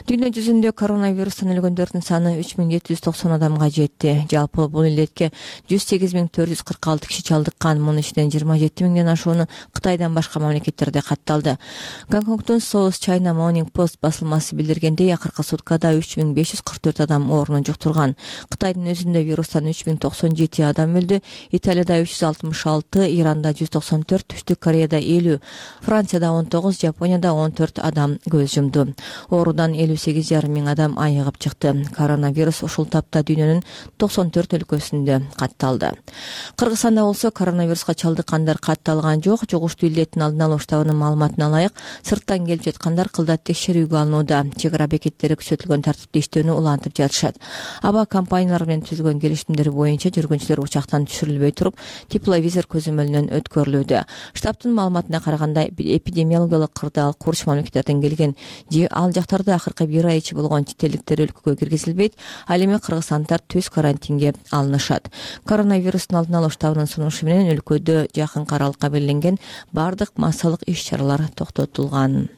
Дүйнө жүзүндө коронавирустан өлгөндөрдүн саны үч миң жети жүз токсон адамга жетти. Жалпы бул илетке жүз сегиз миң төрт жүз кырк алты киши чалдыккан. Мунун ичинен жыйырма жети миңден ашууну Кытайдан башка мамлекеттерде катталды. Гонконгдун South China Morning Post басылмасы билдиргендей, акыркы суткада үч миң беш жүз кырк төрт адам оорунун жуктурган. Кытайдын өзүндө вирустан үч миң токсон жети адам өлдү. Италияда үч жүз алтымыш алты, Иранда жүз токсон төрт, Түштүк Кореяда элүү, Францияда он тогуз, Жапонияда он төрт адам көз жумду. Оорудан элүү сегиз жарым миң адам айыгып чыкты. Коронавирус ушул тапта дүйнөнүн токсон төрт өлкөсүндө катталды. Кыргызстанда болсо коронавируска чалдыккандар катталган жок. Жугуштуу илеттин алдын алуу штабынын маалыматына ылайык, сырттан келип жаткандар кылдат текшерүүгө алынууда. Чек ара бекеттери күчөтүлгөн тартипте иштөөнү улантып жатышат. Аба компаниялары менен түзүлгөн келишимдер боюнча жүргүнчүлөр учактан түшүрүлбөй туруп, тепловизор көзөмөлүнөн өткөрүлүүдө. Штабтын маалыматына караганда, эпидемиологиялык кырдаал курч мамлекеттерден келген же ал жактарда акыркы бир ай ичи болгон чет элдиктер өлкөгө киргизилбейт. Ал эми кыргызстандыктар түз карантинге алынышат. Коронавирустун алдын алуу штабынын сунушу менен өлкөдө жакынкы аралыкка белгиленген бардык массалык иш-чаралар токтотулган.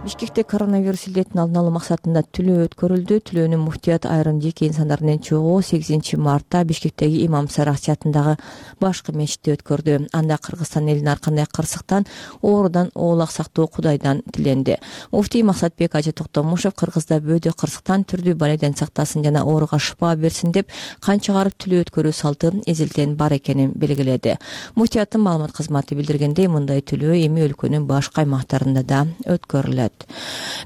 Бишкекте коронавирус илетин алдын алуу максатында тилөө өткөрүлдү. Тилөөнү муфтият айрым жеке инсандар менен чогуу сегизинчи мартта Бишкектеги Имам Сара атындагы башкы мечитте өткөрдү. Анда Кыргызстан элин ар кандай кырсыктан, оорудан оолак сактоо Кудайдан тиленди. Муфтий Максатбек Ажы Токтомушев Кыргызда бөөдө кырсыктан, түрдүү балайдан сактасын жана ооруга шыпа берсин деп канча карып тилөө өткөрүү салты эзелтен бар экенин белгиледи. Муфтияттын маалымат кызматы билдиргендей, мындай тилөө эми өлкөнүн башка аймактарында да өткөрүлөт.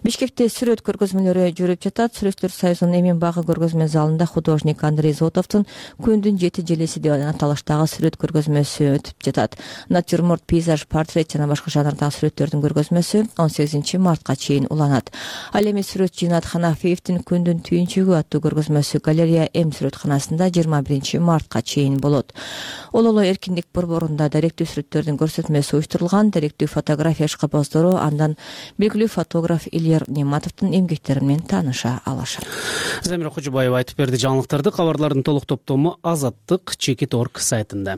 Бишкекте сүрөт көргөзмөлөрү жүрүп жатат. Сүрөттөр союзунун Эмин багы көргөзмө залында художник Андрей Зотовдун Күндүн жети желеси деп аталыштагы сүрөт көргөзмөсү өтүп жатат. Натюрморт, пейзаж, портрет жана башка жанрдагы сүрөттөрдүн көргөзмөсү он сегизинчи мартка чейин уланат. Ал эми сүрөтчү Жинат Ханафиевдин Күндүн түйүнчүгү аттуу көргөзмөсү галерея М сүрөтканасында жыйырма биринчи мартка чейин болот. Ололо эркиндик борборунда даректүү сүрөттөрдүн көрсөтмөсү уюштурулган. Даректүү фотография ишкыбоздору андан белгилүү фотограф Ильяр Нематовдун эмгектери менен тааныша алышат. Замира Кожобаева айтып берди жаңылыктарды. Кабарлардын толук топтому Азаттык чекит точка орг сайтында.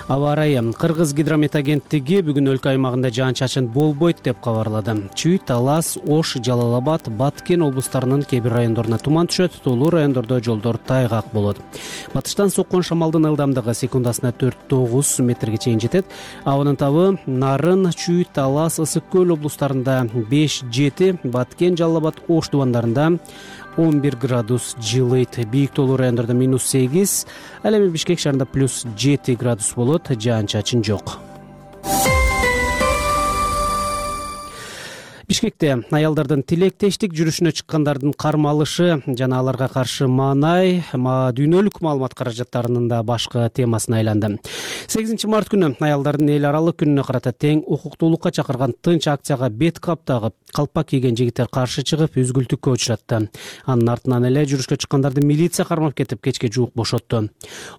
Аба ырайы. Кыргыз гидромет агенттиги бүгүн өлкө аймагында жаан-чачын болбойт деп кабарлады. Чүй, Талас, Ош, Жалал Абад, Баткен облустарынын кээ бир райондоруна туман түшөт, тоолуу райондордо жолдор тайгак болот. Батыштан соккон шамалдын ылдамдыгы секундасына төрт тогуз метрге чейин жетет. Абанын табы Нарын, Чүй, Талас, Ысык көл облустарында беш жети, Баткен, Жалал Абад, Ош тубандарында он бир градус жылыйт. Бийик тоолуу райондордо минус сегиз, ал эми Бишкек шаарында плюс жети градус болот. Жаан-чачын жок. Бишкекте аялдардын тилектештик жүрүшүнө чыккандардын кармалышы жана аларга каршы маанай дүйнөлүк маалымат каражаттарынын да башкы темасына айланды. сегизинчи март күнү аялдардын эл аралык күнүнө карата тең укуктуулукка чакырган тынч акцияга бет кап тагып, калпак кийген жигиттер каршы чыгып, үзгүлтүккө учуратты. Анын артынан эле жүрүшкө чыккандарды милиция кармап кетип, кечке жуук бошотту.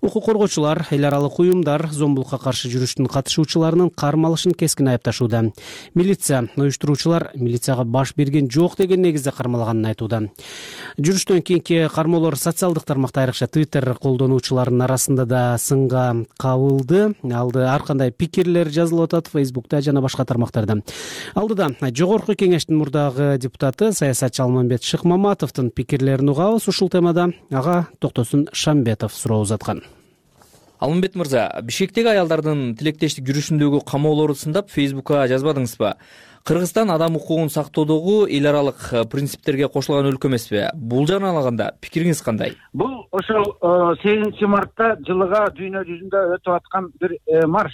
Укук коргоочулар, эл аралык уюмдар зомбулукка каршы жүрүштүн катышуучуларынын кармалышын кескин айыпташууда. Милиция уюштуруучулар милицияга баш берген жок деген негизде кармалаганын айтууда. Жүрүштөн кийинки кармоолор социалдык тармакта, айрыкча Twitter колдонуучуларынын арасында да сынга кабылды. Алды ар кандай пикирлер жазылып атат Facebook'та жана башка тармактарда. Алдыда жогорку кеңештин мурдагы депутаты саясатчы Алмамбет Шыкмаматовдун пикирлерин угабыз. Ушул темада ага Токтосун Шамбетов суроо узаткан. Алмамбет мырза, Бишкектеги аялдардын тилектештик жүрүшүндөгү камоолорду сындап Facebook'ка жазбадыңызбы? Кыргызстан адам укугун сактоодогу эл аралык принциптерге кошулган өлкө эмеспи? Бул жагынан алганда пикириңиз кандай? Бул ошол сегизинчи мартта жылыга дүйнө жүзүндө өтүп аткан бир марш.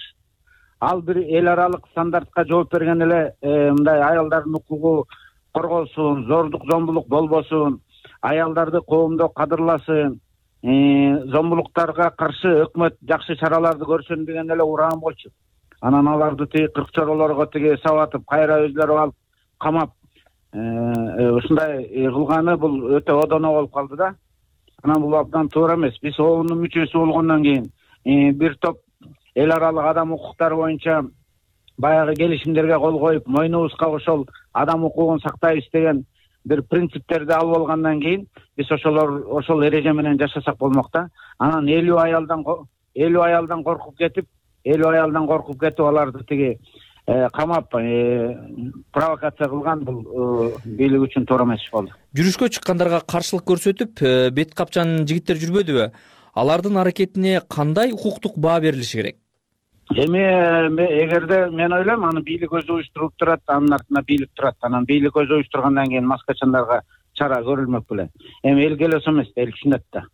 Ал бир эл аралык стандартка жооп берген эле мындай аялдардын укугу корголсун, зордук, зомбулук болбосун, аялдарды коомдо кадырласын, зомбулуктарга каршы өкмөт жакшы чараларды көрсүн деген эле ураан болчу. Анан аларды тиги кырк чоролорго тиги сабатып, кайра өзлөрү алып камап, ушундай кылганы бул өтө одоно болуп калды да. Анан бул абдан туура эмес. Биз оонун мүчөсү болгондон кийин бир топ эл аралык адам укуктары боюнча баягы келишимдерге кол коюп, мойнубузга ошол адам укугун сактайбыз деген бир принциптерди алып алгандан кийин биз ошолор ошол эреже менен жашасак болмок да. Анан элүү аялдан элүү аялдан коркуп кетип, эл аялдан коркуп кетип аларды тиги камап провокация кылган бул бийлик үчүн туура эмес иш болду. Жүрүшкө чыккандарга каршылык көрсөтүп бет капчан жигиттер жүрбөдүбү? Алардын аракетине кандай укуктук баа берилиши керек? Эми эгерде мен ойлойм аны бийлик өзү уюштуруп турат, анын артында бийлик турат. Анан бийлик өзү уюштургандан кийин маскачандарга чара көрүлмөк беле. Эми эл келесо эмес да, эл түшүнөт да.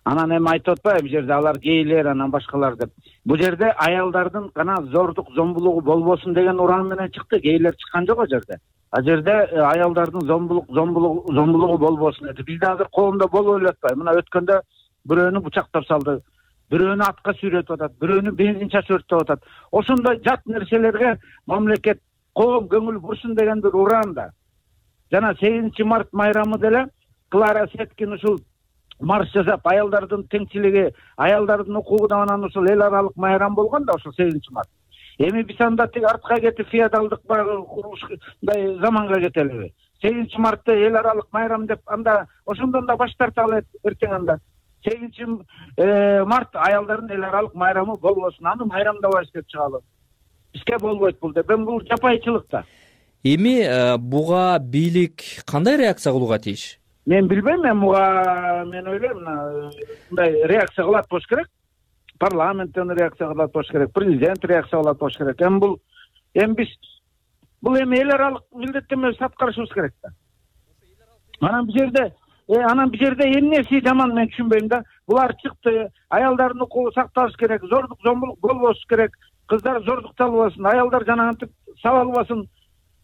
Анан эми айтып атпайбы бул жерде алар гейлер, анан башкалар деп. Бул жерде аялдардын гана зордук, зомбулугу болбосун деген уран менен чыкты. Гейлер чыккан жок ал жерде. Ал жерде аялдардын зомбулук, зомбулугу, зомбулугу болбосун деди. Бизде азыр коомдо болуп эле атпайбы? Мына өткөндө бирөөнү бучактап салды, бирөөнү атка сүйрөтүп атат, бирөөнү бензин чачып өрттөп атат. Ошондой жат нерселерге мамлекет, коом көңүл бурсун деген бир уран да. Жана сегизинчи март майрамы деле Клара Сеткин ушул марш жасап, аялдардын теңчилиги, аялдардын укугуна анан ушул эл аралык майрам болгон да ошол сегизинчи март. Эми биз анда тиги артка кетип феодалдык курушдай заманга кетелиби? сегизинчи мартта эл аралык майрам деп анда ошондон да баш тарталы эртең анда. сегизинчи март аялдардын эл аралык майрамы болбосун, аны майрамдабайбыз деп чыгалы. Бизге болбойт бул деп. Эми бул жапайчылык да. Эми буга бийлик кандай реакция кылууга тийиш? Мен билбейм, мен буга мен ойлойм, мындай реакция кылат болуш керек. Парламенттен реакция кылат болуш керек, президент реакция кылат болуш керек. Эми бул эми биз бул эми эл аралык милдеттенмебизди аткарышыбыз керек да. Анан бул жерде анан бул жерде эмнеси жаман мен түшүнбөйм да. Булар чыкты, аялдардын укугу сакталыш керек, зордук, зомбулук болбош керек, кыздар зордукталбасын, аялдар жанагынтип сабалбасын,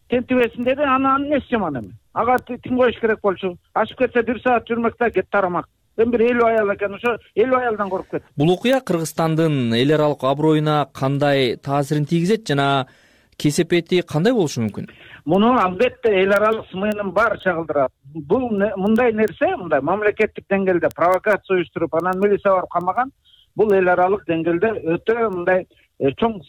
тентибесин деди. Анан эмнеси жаман эми? Ага тим коюш керек болчу. Ашып кетсе бир саат жүрмөк да, кет тарамак. Эми бир элүү аял экен, ошо элүү аялдан коркуп кетти. Бул окуя Кыргызстандын эл аралык аброюна кандай таасирин тийгизет жана кесепети кандай болушу мүмкүн? Муну албетте эл аралык смынын баары чагылдырат. Бул мындай нерсе, мындай мамлекеттик деңгээлде провокация уюштуруп, анан милиция барып камаган, бул эл аралык деңгээлде өтө мындай чоң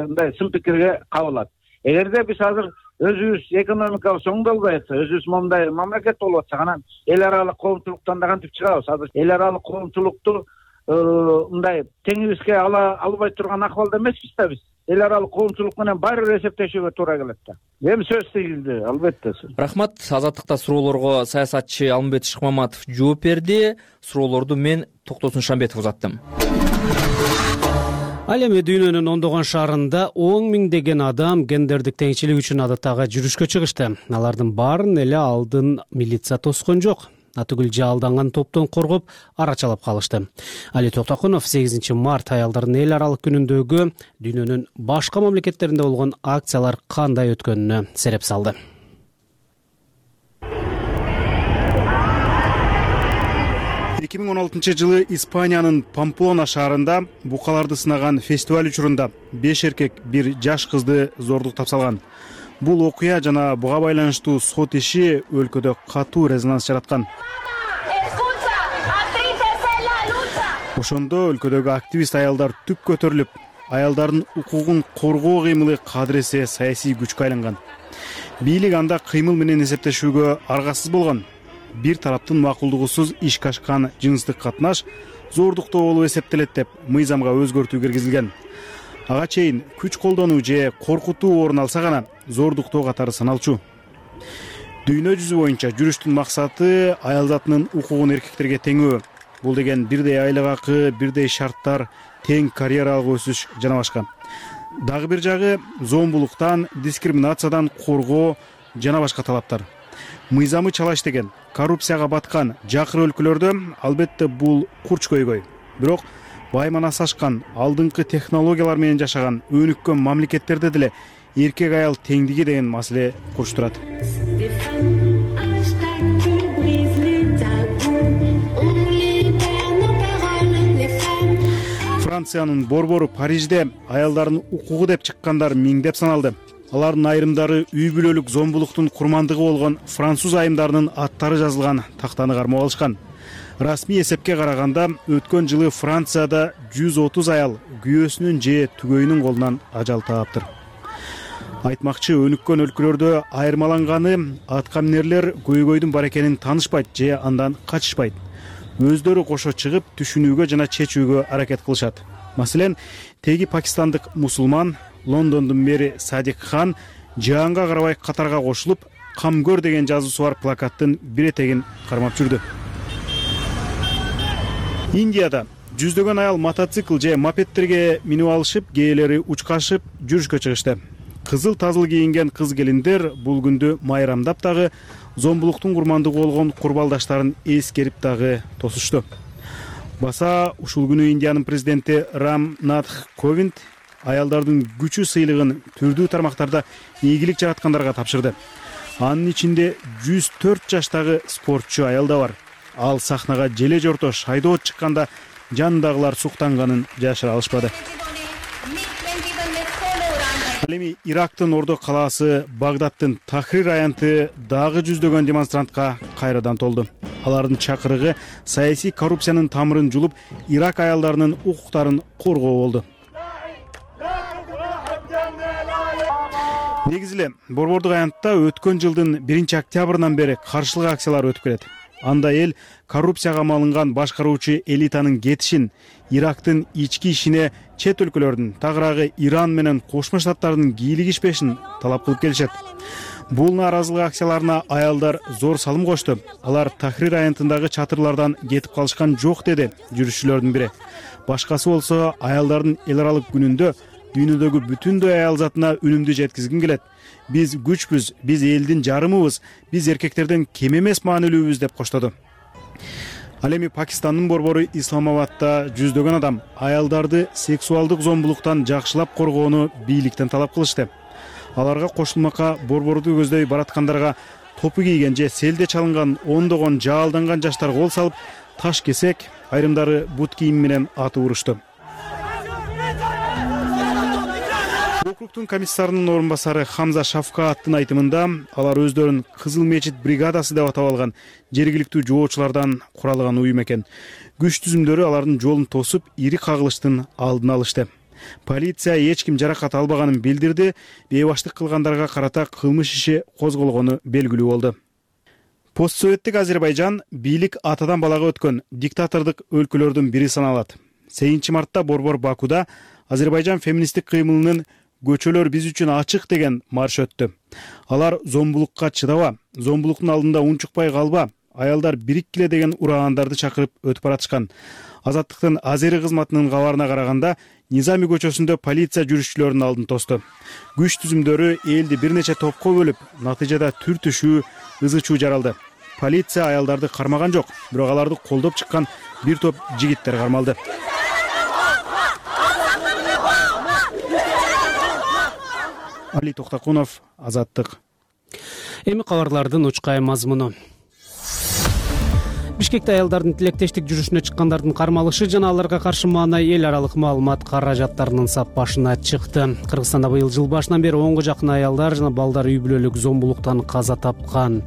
мындай сын пикирге кабылат. Эгерде биз азыр өзүбүз экономикабыз оңдолбой атса, өзүбүз мондай мамлекет болуп атсак, анан эл аралык коомчулуктан да кантип чыгабыз? Азыр эл аралык коомчулукту мындай теңибизге ала албай турган акыбалда эмеспиз да биз. Эл аралык коомчулук менен баары бир эсептешүүгө туура келет да. Эми сөз тийгилди, албетте. Рахмат. Азаттыкта суроолорго саясатчы Алмамбет Шыкмаматов жооп берди. Суроолорду мен Токтосун Шамбетов узаттым. Ал эми дүйнөнүн ондогон шаарында он миңдеген адам гендердик теңчилик үчүн адаттагы жүрүшкө чыгышты. Алардын баарын эле алдын милиция тоскон жок. Атүгүл жалданган топтон коргоп, арачалап калышты. Али Токтокунов сегизинчи март аялдардын эл аралык күнүндөгү дүйнөнүн башка мамлекеттеринде болгон акциялар кандай өткөнүнө сереп салды. эки миң он алтынчы жылы Испаниянын Памплона шаарында букаларды сынаган фестиваль учурунда беш эркек бир жаш кызды зордуктап салган. Бул окуя жана буга байланыштуу сот иши өлкөдө катуу резонанс жараткан. Ошондо өлкөдөгү активист аялдар түп көтөрүлүп, аялдардын укугун коргоо кыймылы кадыресе саясий күчкө айланган. Бийлик анда кыймыл менен эсептешүүгө аргасыз болгон. Бир тараптын макулдугусуз ишке ашкан жыныстык катнаш зордуктоо болуп эсептелет деп мыйзамга өзгөртүү киргизилген. Ага чейин күч колдонуу же коркутуу орун алса гана зордуктоо катары саналчу. Дүйнө жүзү боюнча жүрүштүн максаты аял затынын укугун эркектерге теңөө. Бул деген бирдей айлык акы, бирдей шарттар, тең карьералык өсүш жана башка. Дагы бир жагы зомбулуктан, дискриминациядан коргоо жана башка талаптар. Мыйзамы чала иштеген, коррупцияга баткан жакыр өлкөлөрдө албетте бул курч көйгөй. Бирок байманасы ашкан, алдыңкы технологиялар менен жашаган өнүккөн мамлекеттерде деле эркек аял теңдиги деген маселе курч турат. Франциянын борбору Парижде аялдардын укугу деп чыккандар миңдеп саналды. Алардын айрымдары үй бүлөлүк зомбулуктун курмандыгы болгон француз айымдарынын аттары жазылган тактаны кармап алышкан. Расмий эсепке караганда өткөн жылы Францияда жүз отуз аял күйөөсүнүн же түгөйүнүн колунан ажал тааптыр. Айтмакчы, өнүккөн өлкөлөрдө айырмаланганы аткаминерлер көйгөйдүн бар экенин таанышпайт же андан качышпайт. Өздөрү кошо чыгып түшүнүүгө жана чечүүгө аракет кылышат. Маселен, теги пакистандык мусулман Лондондун мэри Садик Хан жаанга карабай катарга кошулуп, камгөр деген жазуусу бар плакаттын бир этегин кармап жүрдү. Индияда жүздөгөн аял мотоцикл же мопедтерге минип алышып, кээелери учкашып жүрүшкө чыгышты. Кызыл тазыл кийинген кыз келиндер бул күндү майрамдап дагы зомбулуктун курмандыгы болгон курбалдаштарын эскерип дагы тосушту. Баса ушул күнү Индиянын президенти Рам Натх Ковинд аялдардын күчү сыйлыгын түрдүү тармактарда ийгилик жараткандарга тапшырды. Анын ичинде жүз төрт жаштагы спортчу аял да бар. Ал сахнага желе жорто шайдоо чыкканда жанындагылар суктанганын жашыра алышпады. Ал эми Ирактын Ордо калаасы Багдадтын Тахрир аянты дагы жүздөгөн демонстрантка кайрадан толду. Алардын чакырыгы саясий коррупциянын тамырын жулуп, Ирак аялдарынын укуктарын коргоо болду. Негизи эле борбордук аянтта өткөн жылдын биринчи октябрынан бери каршылык акциялар өтүп келет. Анда эл коррупцияга малынган башкаруучу элитанын кетишин, Ирактын ички ишине чет өлкөлөрдүн, тагыраагы Иран менен Кошмо Штаттардын кийлигишпешин талап кылып келишет. Бул нааразылык акцияларына аялдар зор салым кошту. Алар Тахрир аянтындагы чатырлардан кетип калышкан жок, деди жүрүшчүлөрдүн бири. Башкасы болсо аялдардын эл аралык күнүндө дүйнөдөгү бүтүндөй аял затына үнүмдү жеткизгим келет. Биз күчпүз, биз элдин жарымыбыз, биз эркектерден кем эмес маанилүүбүз деп коштоду. Ал эми Пакистандын борбору Исламабадда жүздөгөн адам аялдарды сексуалдык зомбулуктан жакшылап коргоону бийликтен талап кылышты. Аларга кошулмакка борборду көздөй бараткандарга топу кийген же селде чалынган ондогон жаалданган жаштар кол салып, таш кесек, айрымдары бут кийим менен атып урушту. Округтун комиссарынын орун басары Хамза Шафкааттын айтымында, алар өздөрүн Кызыл мечит бригадасы деп атап алган жергиликтүү жоочулардан куралган уюм экен. Күч түзүмдөрү алардын жолун тосуп, ири кагылыштын алдын алышты. Полиция эч ким жаракат албаганын билдирди, бейбаштык кылгандарга карата кылмыш иши козголгону белгилүү болду. Постсоветтик Азербайжан бийлик атадан балага өткөн диктатордук өлкөлөрдүн бири саналат. сегизинчи мартта борбор Бакуда Азербайжан феминисттик кыймылынын көчөлөр биз үчүн ачык деген марш өттү. Алар зомбулукка чыдаба, зомбулуктун алдында унчукпай калба, аялдар бириккиле деген ураандарды чакырып өтүп баратышкан. Азаттыктын Азери кызматынын кабарына караганда, Низами көчөсүндө полиция жүрүшчүлөрдүн алдын тосту. Күч түзүмдөрү элди бир нече топко бөлүп, натыйжада түр түшүү, ызы чуу жаралды. Полиция аялдарды кармаган жок, бирок аларды колдоп чыккан бир топ жигиттер кармалды. Али Токтакунов, Азаттык. Эми кабарлардын учкай мазмуну. Бишкекте аялдардын тилектештик жүрүшүнө чыккандардын кармалышы жана аларга каршы маанай эл аралык маалымат каражаттарынын сап башына чыкты. Кыргызстанда быйыл жыл башынан бери онго жакын аялдар жана балдар үй бүлөлүк зомбулуктан каза тапкан.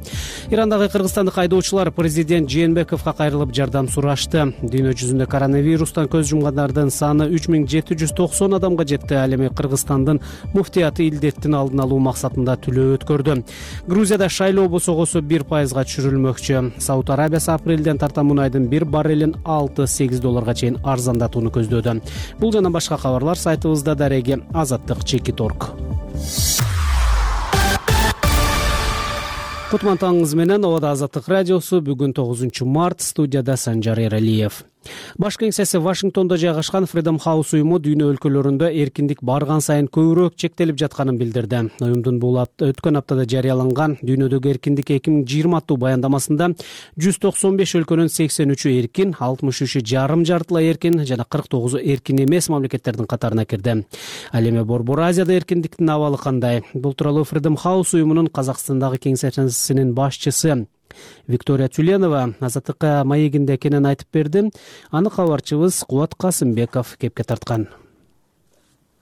Ирандагы кыргызстандык айдоочулар президент Жээнбековго кайрылып жардам сурашты. Дүйнө жүзүндө коронавирустан көз жумгандардын саны үч миң жети жүз токсон адамга жетти. Ал эми Кыргызстандын муфтияты илдеттин алдын алуу максатында түлөө өткөрдү. Грузияда шайлоо босогосу бир пайызга түшүрүлмөкчү. Сауд Арабиясы апрелден тарта мунайдын бир баррелин алты сегиз долларга чейин арзандатууну көздөөдө. Бул жана башка кабарлар сайтыбызда дареги азаттык чекит точка орг. Кутман таңыңыз менен Обада Азаттык радиосу. Бүгүн тогузунчу март, студияда Санжар Эралиев. Баш кеңсеси Вашингтондо жайгашкан Freedom House уюму дүйнө өлкөлөрүндө эркиндик барган сайын көбүрөөк чектелип жатканын билдирди. Уюмдун бул өткөн аптада жарыяланган дүйнөдөгү эркиндик эки миң жыйырма аттуу баяндамасында жүз токсон беш өлкөнүн сексен үчү эркин, алтымыш үчү жарым жартылай эркин жана кырк тогузу эркин эмес мамлекеттердин катарына кирди. Ал эми Борбор Азияда эркиндиктин абалы кандай? Бул тууралуу Freedom House уюмунун Казакстандагы кеңсесинин башчысы Виктория Тюленова Азаттыкка маегинде экенин айтып берди. Аны кабарчыбыз Кубат Касымбеков кепке тарткан.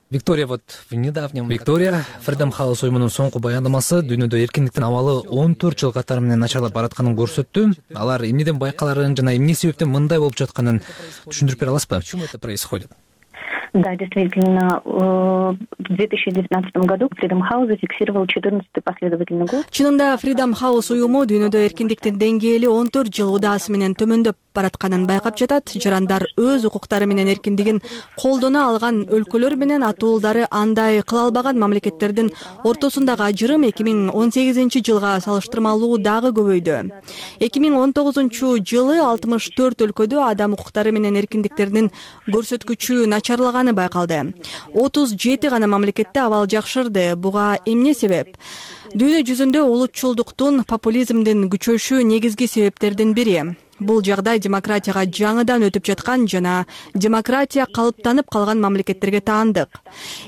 Виктория, вот в недавнем... Виктория, Freedom House уюмунун соңку баяндамасы дүйнөдө эркиндиктин абалы он төрт жыл катары менен начарлап баратканын көрсөттү. Алар эмнеден байкаларын жана эмне себептен мындай болуп жатканын түшүндүрүп бере аласызбы? Почему это происходит? Да, действительно, в две тысячи девятнадцатом году Freedom House зафиксировал четырнадцатый последовательный год. Чынында Freedom House уюму дүйнөдө эркиндиктин деңгээли он төрт жыл удаасы менен төмөндөп баратканын байкап жатат. Жарандар өз укуктары менен эркиндигин колдоно алган өлкөлөр менен атуулдары андай кыла албаган мамлекеттердин ортосундагы ажырым эки миң он сегизинчи жылга салыштырмалуу дагы көбөйдү. эки миң он тогузунчу жылы алтымыш төрт өлкөдө адам укуктары менен эркиндиктердин көрсөткүчү начарлаганы байкалды. отуз жети гана мамлекетте абал жакшырды. Буга эмне себеп? Дүйнө жүзүндө улутчулдуктун, популизмдин күчөшү негизги себептердин бири. Бул жагдай демократияга жаңыдан өтүп жаткан жана демократия калыптанып калган мамлекеттерге таандык.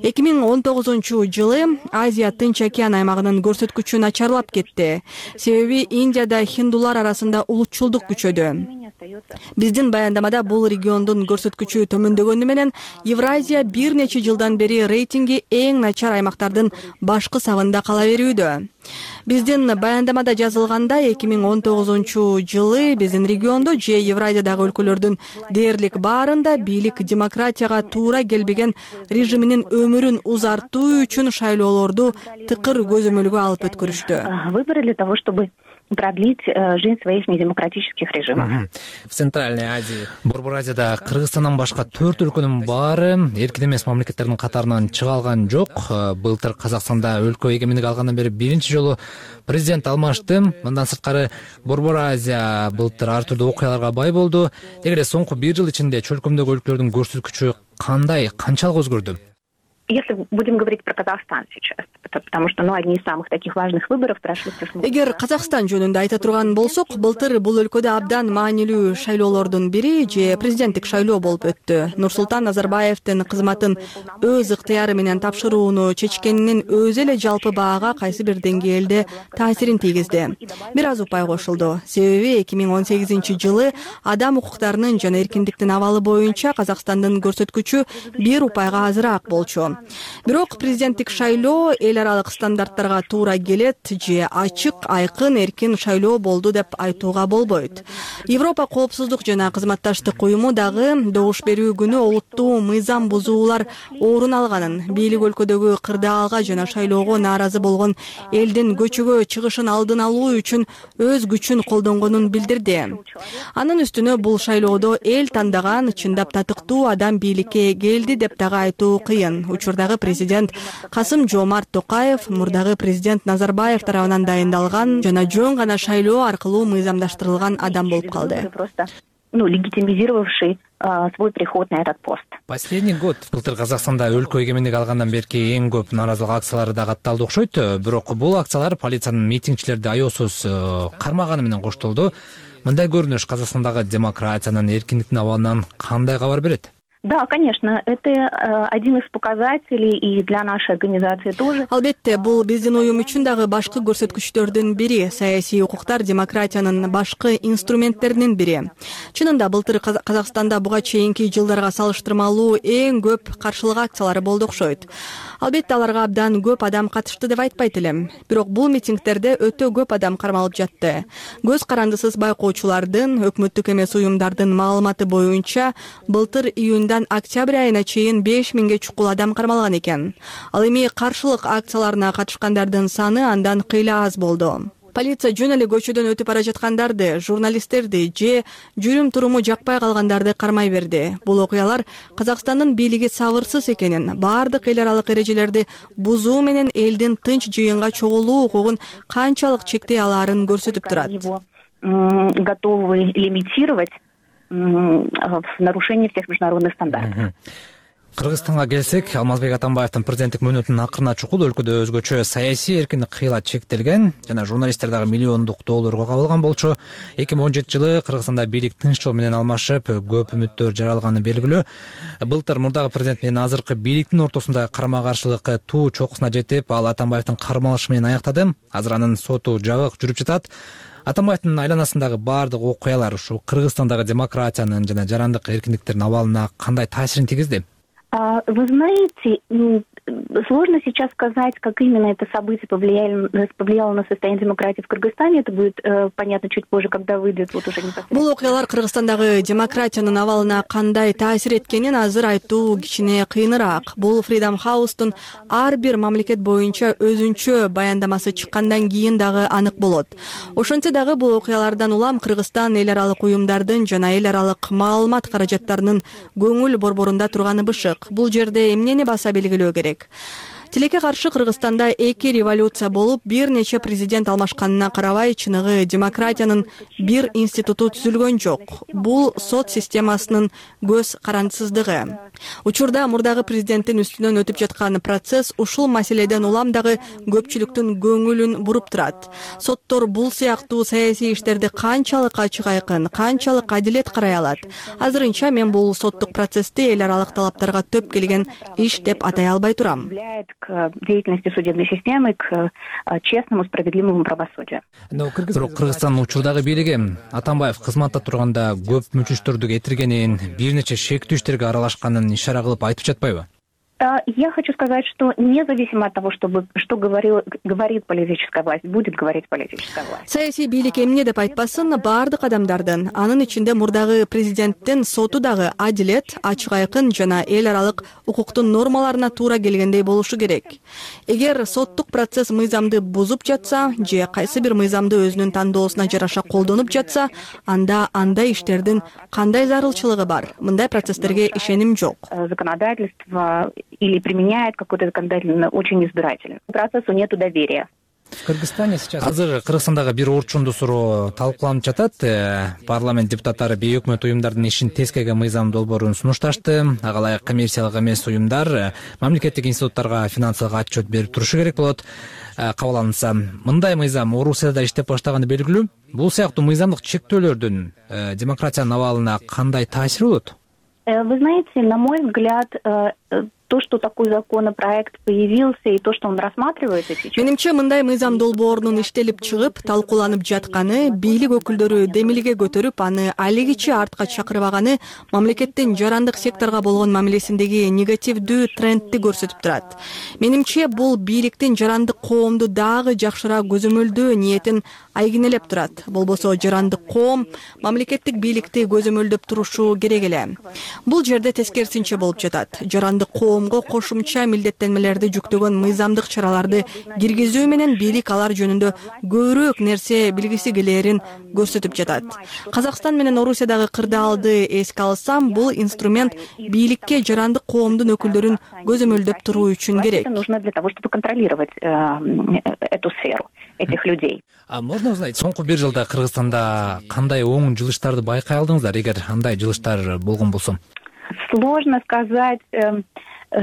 эки миң он тогузунчу жылы Азия Тынч океан аймагынын көрсөткүчү начарлап кетти. Себеби Индияда хиндулар арасында улутчулдук күчөдү. Биздин баяндамада бул региондун көрсөткүчү төмөндөгөнү менен Евразия бир нече жылдан бери рейтинги эң начар аймактардын башкы сабында кала берүүдө. Биздин баяндамада жазылгандай, эки миң он тогузунчу жылы биздин региондо же Евразиядагы өлкөлөрдүн дээрлик баарында бийлик демократияга туура келбеген режиминин өмүрүн узартуу үчүн шайлоолорду тыкыр көзөмөлгө алып өткөрүштү. Выборы для того, чтобы продлить жизнь своих недемократических режимов. В Центральной Азии, Борбор Азияда Кыргызстандан башка төрт өлкөнүн баары эркин эмес мамлекеттердин катарынан чыга алган жок. Былтыр Казакстанда өлкө эгемендик алгандан бери биринчи жолу президент алмашты. Мындан сырткары Борбор Азия былтыр ар түрдүү окуяларга бай болду. Эгерде соңку бир жыл ичинде чөлкөмдөгү өлкөлөрдүн көрсөткүчү кандай, канчалык өзгөрдү? Если будем говорить про Казахстан сейчас, потому что, ну, одни из самых таких важных выборов прошли в прошлом году. Эгер Казакстан жөнүндө айта турган болсок, былтыр бул өлкөдө абдан маанилүү шайлоолордун бири же президенттик шайлоо болуп өттү. Нурсултан Назарбаевдин кызматын өз ыктыяры менен тапшырууну чечкенинин өзү эле жалпы баага кайсы бир деңгээлде таасирин тийгизди. Бир аз упай кошулду. Себеби эки миң он сегизинчи жылы адам укуктарынын жана эркиндиктин абалы боюнча Казакстандын көрсөткүчү бир упайга азыраак болчу. Бирок президенттик шайлоо эл аралык стандарттарга туура келет же ачык, айкын, эркин шайлоо болду деп айтууга болбойт. Европа коопсуздук жана кызматташтык уюму дагы добуш берүү күнү олуттуу мыйзам бузуулар орун алганын, бийлик өлкөдөгү кырдаалга жана шайлоого нааразы болгон элдин көчөгө чыгышын алдын алуу үчүн өз күчүн колдонгонун билдирди. Анын үстүнө бул шайлоодо эл тандаган чындап татыктуу адам бийликке келди деп дагы айтуу кыйын. Учурдагы президент Касым Жомарт Токаев мурдагы президент Назарбаев тарабынан дайындалган жана жөн гана шайлоо аркылуу мыйзамдаштырылган адам болуп калды. Ну, легитимизировавший свой приход на этот пост. Последний год былтыр Казакстанда өлкө эгемендик алгандан берки эң көп нааразылык акциялары да катталды окшойт. Бирок бул акциялар полициянын митингчилерди аяосуз кармаганы менен коштолду. Мындай көрүнүш Казакстандагы демократиянын, эркиндиктин абалынан кандай кабар берет? Да, конечно, это э, один из показателей и для нашей организации тоже. Албетте, бул биздин уюм үчүн дагы башкы көрсөткүчтөрдүн бири. Саясий укуктар демократиянын башкы инструменттеринин бири. Чынында былтыр Казакстанда буга чейинки жылдарга салыштырмалуу эң көп каршылык акциялары болду окшойт. Албетте, аларга абдан көп адам катышты деп айтпайт элем. Бирок бул митингтерде өтө көп адам кармалып жатты. Көз карандысыз байкоочулардын, өкмөттүк эмес уюмдардын маалыматы боюнча былтыр июнда октябрь айына чейин беш миңге чукул адам кармалган экен. Ал эми каршылык акцияларына катышкандардын саны андан кыйла аз болду. Полиция жөн эле көчөдөн өтүп бара жаткандарды, журналисттерди же жүрүм туруму жакпай калгандарды кармай берди. Бул окуялар Казакстандын бийлиги сабырсыз экенин, баардык эл аралык эрежелерди бузуу менен элдин тынч жыйынга чогулуу укугун канчалык чектей алаарын көрсөтүп турат. Готовы лимитировать в нарушении всех международных стандартов. Кыргызстанга келсек, Алмазбек Атамбаевдин президенттик мөөнөтүнүн акырына чукул өлкөдө өзгөчө саясий эркиндик кыйла чектелген жана журналисттер дагы миллиондук долларга кабылган болчу. эки миң он жетинчи жылы Кыргызстанда бийлик тынч жол менен алмашып, көп үмүттөр жаралганы белгилүү. Былтыр мурдагы президент менен азыркы бийликтин ортосунда карама каршылык туу чокусуна жетип, ал Атамбаевдин кармалышы менен аяктады. Азыр анын соту жабык жүрүп жатат. Атамбаевдин айланасындагы баардык окуялар ушу Кыргызстандагы демократиянын жана жарандык эркиндиктердин абалына кандай таасирин тийгизди? Вы знаете, Сложно сейчас сказать, как именно это событие повлияло, повлияло на состояние демократии в Кыргызстане. Это будет э, понятно чуть позже, когда выйдет вот уже непосредственно. Бул окуялар Кыргызстандагы демократиянын абалына кандай таасир эткенин азыр айтуу кичине кыйыныраак. Бул Freedom House'тун ар бир мамлекет боюнча өзүнчө баяндамасы чыккандан кийин дагы анык болот. Ошентсе дагы бул окуялардан улам Кыргызстан эл аралык уюмдардын жана эл аралык маалымат каражаттарынын көңүл борборунда турганы бышык. Бул жерде эмнени баса белгилөө керек? Тилекке каршы Кыргызстанда эки революция болуп, бир нече президент алмашканына карабай, чыныгы демократиянын бир институту түзүлгөн жок. Бул сот системасынын көз карандысыздыгы. Учурда мурдагы президенттин үстүнөн өтүп жаткан процесс ушул маселеден улам дагы көпчүлүктүн көңүлүн буруп турат. Соттор бул сыяктуу саясий иштерди канчалык ачык айкын, канчалык адилет карай алат? Азырынча мен бул соттук процессти эл аралык талаптарга төп келген иш деп атай албай турам. К деятельности судебной системы, к честному, справедливому правосудию. Бирок Кыргызстандын учурдагы бийлиги Атамбаев кызматта турганда көп мүчүстөрдү кетиргенин, бир нече шектүү иштерге аралашканын ишара кылып айтып жатпайбы? Я хочу сказать, что независимо от того, чтобы, что говорил, говорит политическая власть, будет говорить политическая власть. Саясий бийлик эмне деп айтпасын, баардык адамдардын, анын ичинде мурдагы президенттин соту дагы адилет, ачык айкын жана эл аралык укуктун нормаларына туура келгендей болушу керек. Эгер соттук процесс мыйзамды бузуп жатса, же кайсы бир мыйзамды өзүнүн тандоосуна жараша колдонуп жатса, анда андай иштердин кандай зарылчылыгы бар? Мындай процесстерге ишеним жок. Законодательство или применяет какой-то законодательный очень избирательный. Процессу нету доверия. В Кыргызстане сейчас азыр Кыргызстандагы бир орчундуу суроо талкууланып жатат. Парламент депутаттары бейөкмөт уюмдардын ишин тескеге мыйзам долбоорун сунушташты. Ага ылайык коммерциялык эмес уюмдар мамлекеттик институттарга финансылык отчет берип турушу керек болот. Кабыл алынса, мындай мыйзам Орусияда да иштеп баштаганы белгилүү. Бул сыяктуу мыйзамдык чектөөлөрдүн демократиянын абалына кандай таасири болот? Вы знаете, на мой взгляд, то, что такой законопроект появился и то, что он рассматривается сейчас. Менимче, мындай мыйзам долбоорунун иштелип чыгып, талкууланып жатканы, бийлик өкүлдөрү демилге көтөрүп, аны алигичи артка чакырбаганы мамлекеттин жарандык секторго болгон мамилесиндеги негативдүү трендти көрсөтүп турат. Менимче, бул бийликтин жарандык коомду дагы жакшыраак көзөмөлдөө ниетин айгинелеп турат. Болбосо жарандык коом мамлекеттик бийликти көзөмөлдөп турушу керек эле. Бул жерде тескерисинче болуп жатат. Жарандык коомго кошумча милдеттенмелерди жүктөгөн мыйзамдык чараларды киргизүү менен бийлик алар жөнүндө көбүрөөк нерсе билгиси келээрин көрсөтүп жатат. Казакстан менен Орусиядагы кырдаалды эске алсам, бул инструмент бийликке жарандык коомдун өкүлдөрүн көзөмөлдөп туруу үчүн керек. Нужно для того, чтобы контролировать эту сферу этих людей. А можно узнать, соңку бир жылда Кыргызстанда кандай оң жылыштарды байкай алдыңыздар, эгер андай жылыштар болгон болсо? Сложно сказать,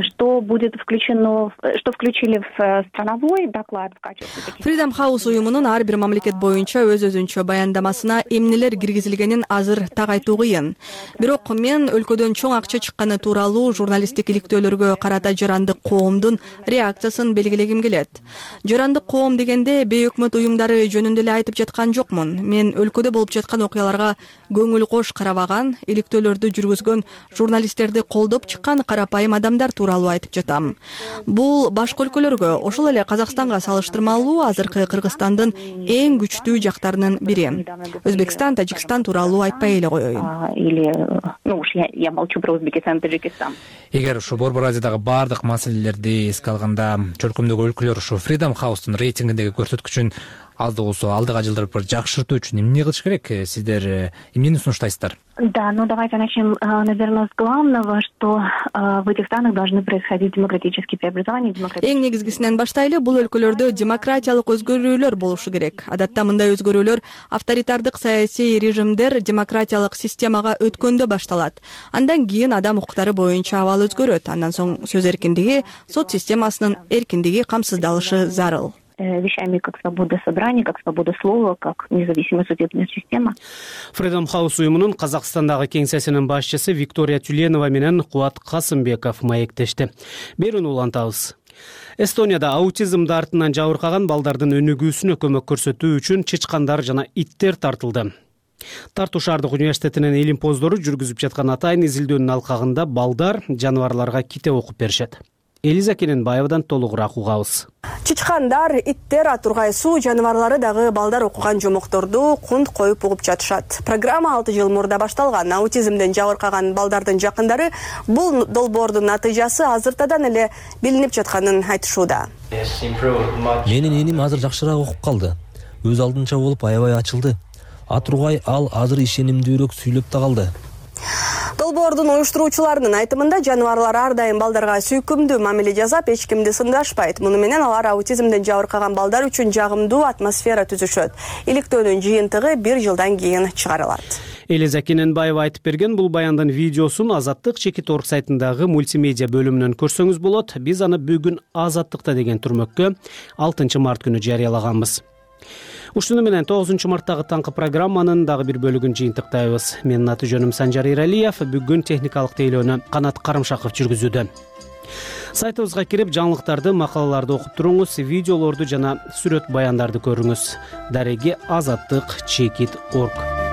что будет включено, что включили в страновой доклад в качестве. Freedom House уюмунун ар бир мамлекет боюнча өз өзүнчө баяндамасына эмнелер киргизилгенин азыр так айтуу кыйын. Бирок мен өлкөдөн чоң акча чыкканы тууралуу журналисттик иликтөөлөргө карата жарандык коомдун реакциясын белгилегим келет. Жарандык коом дегенде бейөкмөт уюмдары жөнүндө эле айтып жаткан жокмун. Мен өлкөдө болуп жаткан окуяларга көңүл кош карабаган, иликтөөлөрдү жүргүзгөн журналисттерди колдоп чыккан карапайым адамдар тууралуу айтып жатам. Бул башка өлкөлөргө, ошол эле Казакстанга салыштырмалуу азыркы Кыргызстандын эң күчтүү жактарынын бири. Өзбекстан, Тажикстан тууралуу айтпай эле коеюн. Или, ну уж я, я молчу про Узбекистан, Таджикистан. Эгер ушу Борбор Азиядагы баардык маселелерди эске алганда, чөлкөмдөгү өлкөлөр ушу Freedom House'тун рейтингиндеги көрсөткүчүн азды болсо алдыга жылдырып жакшыртуу үчүн эмне кылыш керек? Сиздер эмнени сунуштайсыздар? Да, ну давайте начнем, наверное, с главного, что в этих странах должны происходить демократические преобразования. Эң негизгисинен баштайлы, бул өлкөлөрдө демократиялык өзгөрүүлөр болушу керек. Адатта мындай өзгөрүүлөр авторитардык саясий режимдер демократиялык системага өткөндө башталат. Андан кийин адам укуктары боюнча абал өзгөрөт. Андан соң сөз эркиндиги, сот системасынын эркиндиги камсыздалышы зарыл. Вещами как свобода собрания, как свобода слова, как независимая судебная система. Freedom House уюмунун Казакстандагы кеңсесинин башчысы Виктория Тюленова менен Кубат Касымбеков маектешти. Берүүнү улантабыз. Эстонияда аутизмди артынан жабыркаган балдардын өнүгүүсүнө көмөк көрсөтүү үчүн чычкандар жана иттер тартылды. Тарту шаардык университетинин илимпоздору жүргүзүп жаткан атайын изилдөөнүн алкагында балдар жаныбарларга ките окуп беришет. Элиза Кененбаевадан толугураак угабыз. Чычкандар, иттер, атургай суу жаныбарлары дагы балдар окуган жомокторду кунт коюп угуп жатышат. Программа алты жыл мурда башталган. Аутизмден жабыркаган балдардын жакындары бул долбоордун натыйжасы азыртадан эле билинип жатканын айтышууда. Менин эним азыр жакшыраак окуп калды. Өз алдынча болуп аябай ачылды. Атургай ал азыр ишенимдүүрөөк сүйлөп да калды. Долбоордун уюштуруучуларынын айтымында жаныбарлар ар дайым балдарга сүйкүмдүү мамиле жасап, эч кимди сындашпайт. Муну менен алар аутизмден жабыркаган балдар үчүн жагымдуу атмосфера түзүшөт. Иликтөөнүн жыйынтыгы бир жылдан кийин чыгарылат. Элиза Кененбаева айтып берген бул баяндын видеосун Азаттык чекит точка орг сайтындагы мультимедиа бөлүмүнөн көрсөңүз болот. Биз аны бүгүн Азаттыкта деген түрмөккө алтынчы март күнү жарыялаганбыз. Ушуну менен тогузунчу марттагы таңкы программанын дагы бир бөлүгүн жыйынтыктайбыз. Менин аты жөнүм Санжар Иралиев. Бүгүн техникалык тейлөөнү Канат Карымшаков жүргүзүүдө. Сайтыбызга кирип жаңылыктарды, макалаларды окуп туруңуз, видеолорду жана сүрөт баяндарды көрүңүз. Дареги азаттык чекит точка орг.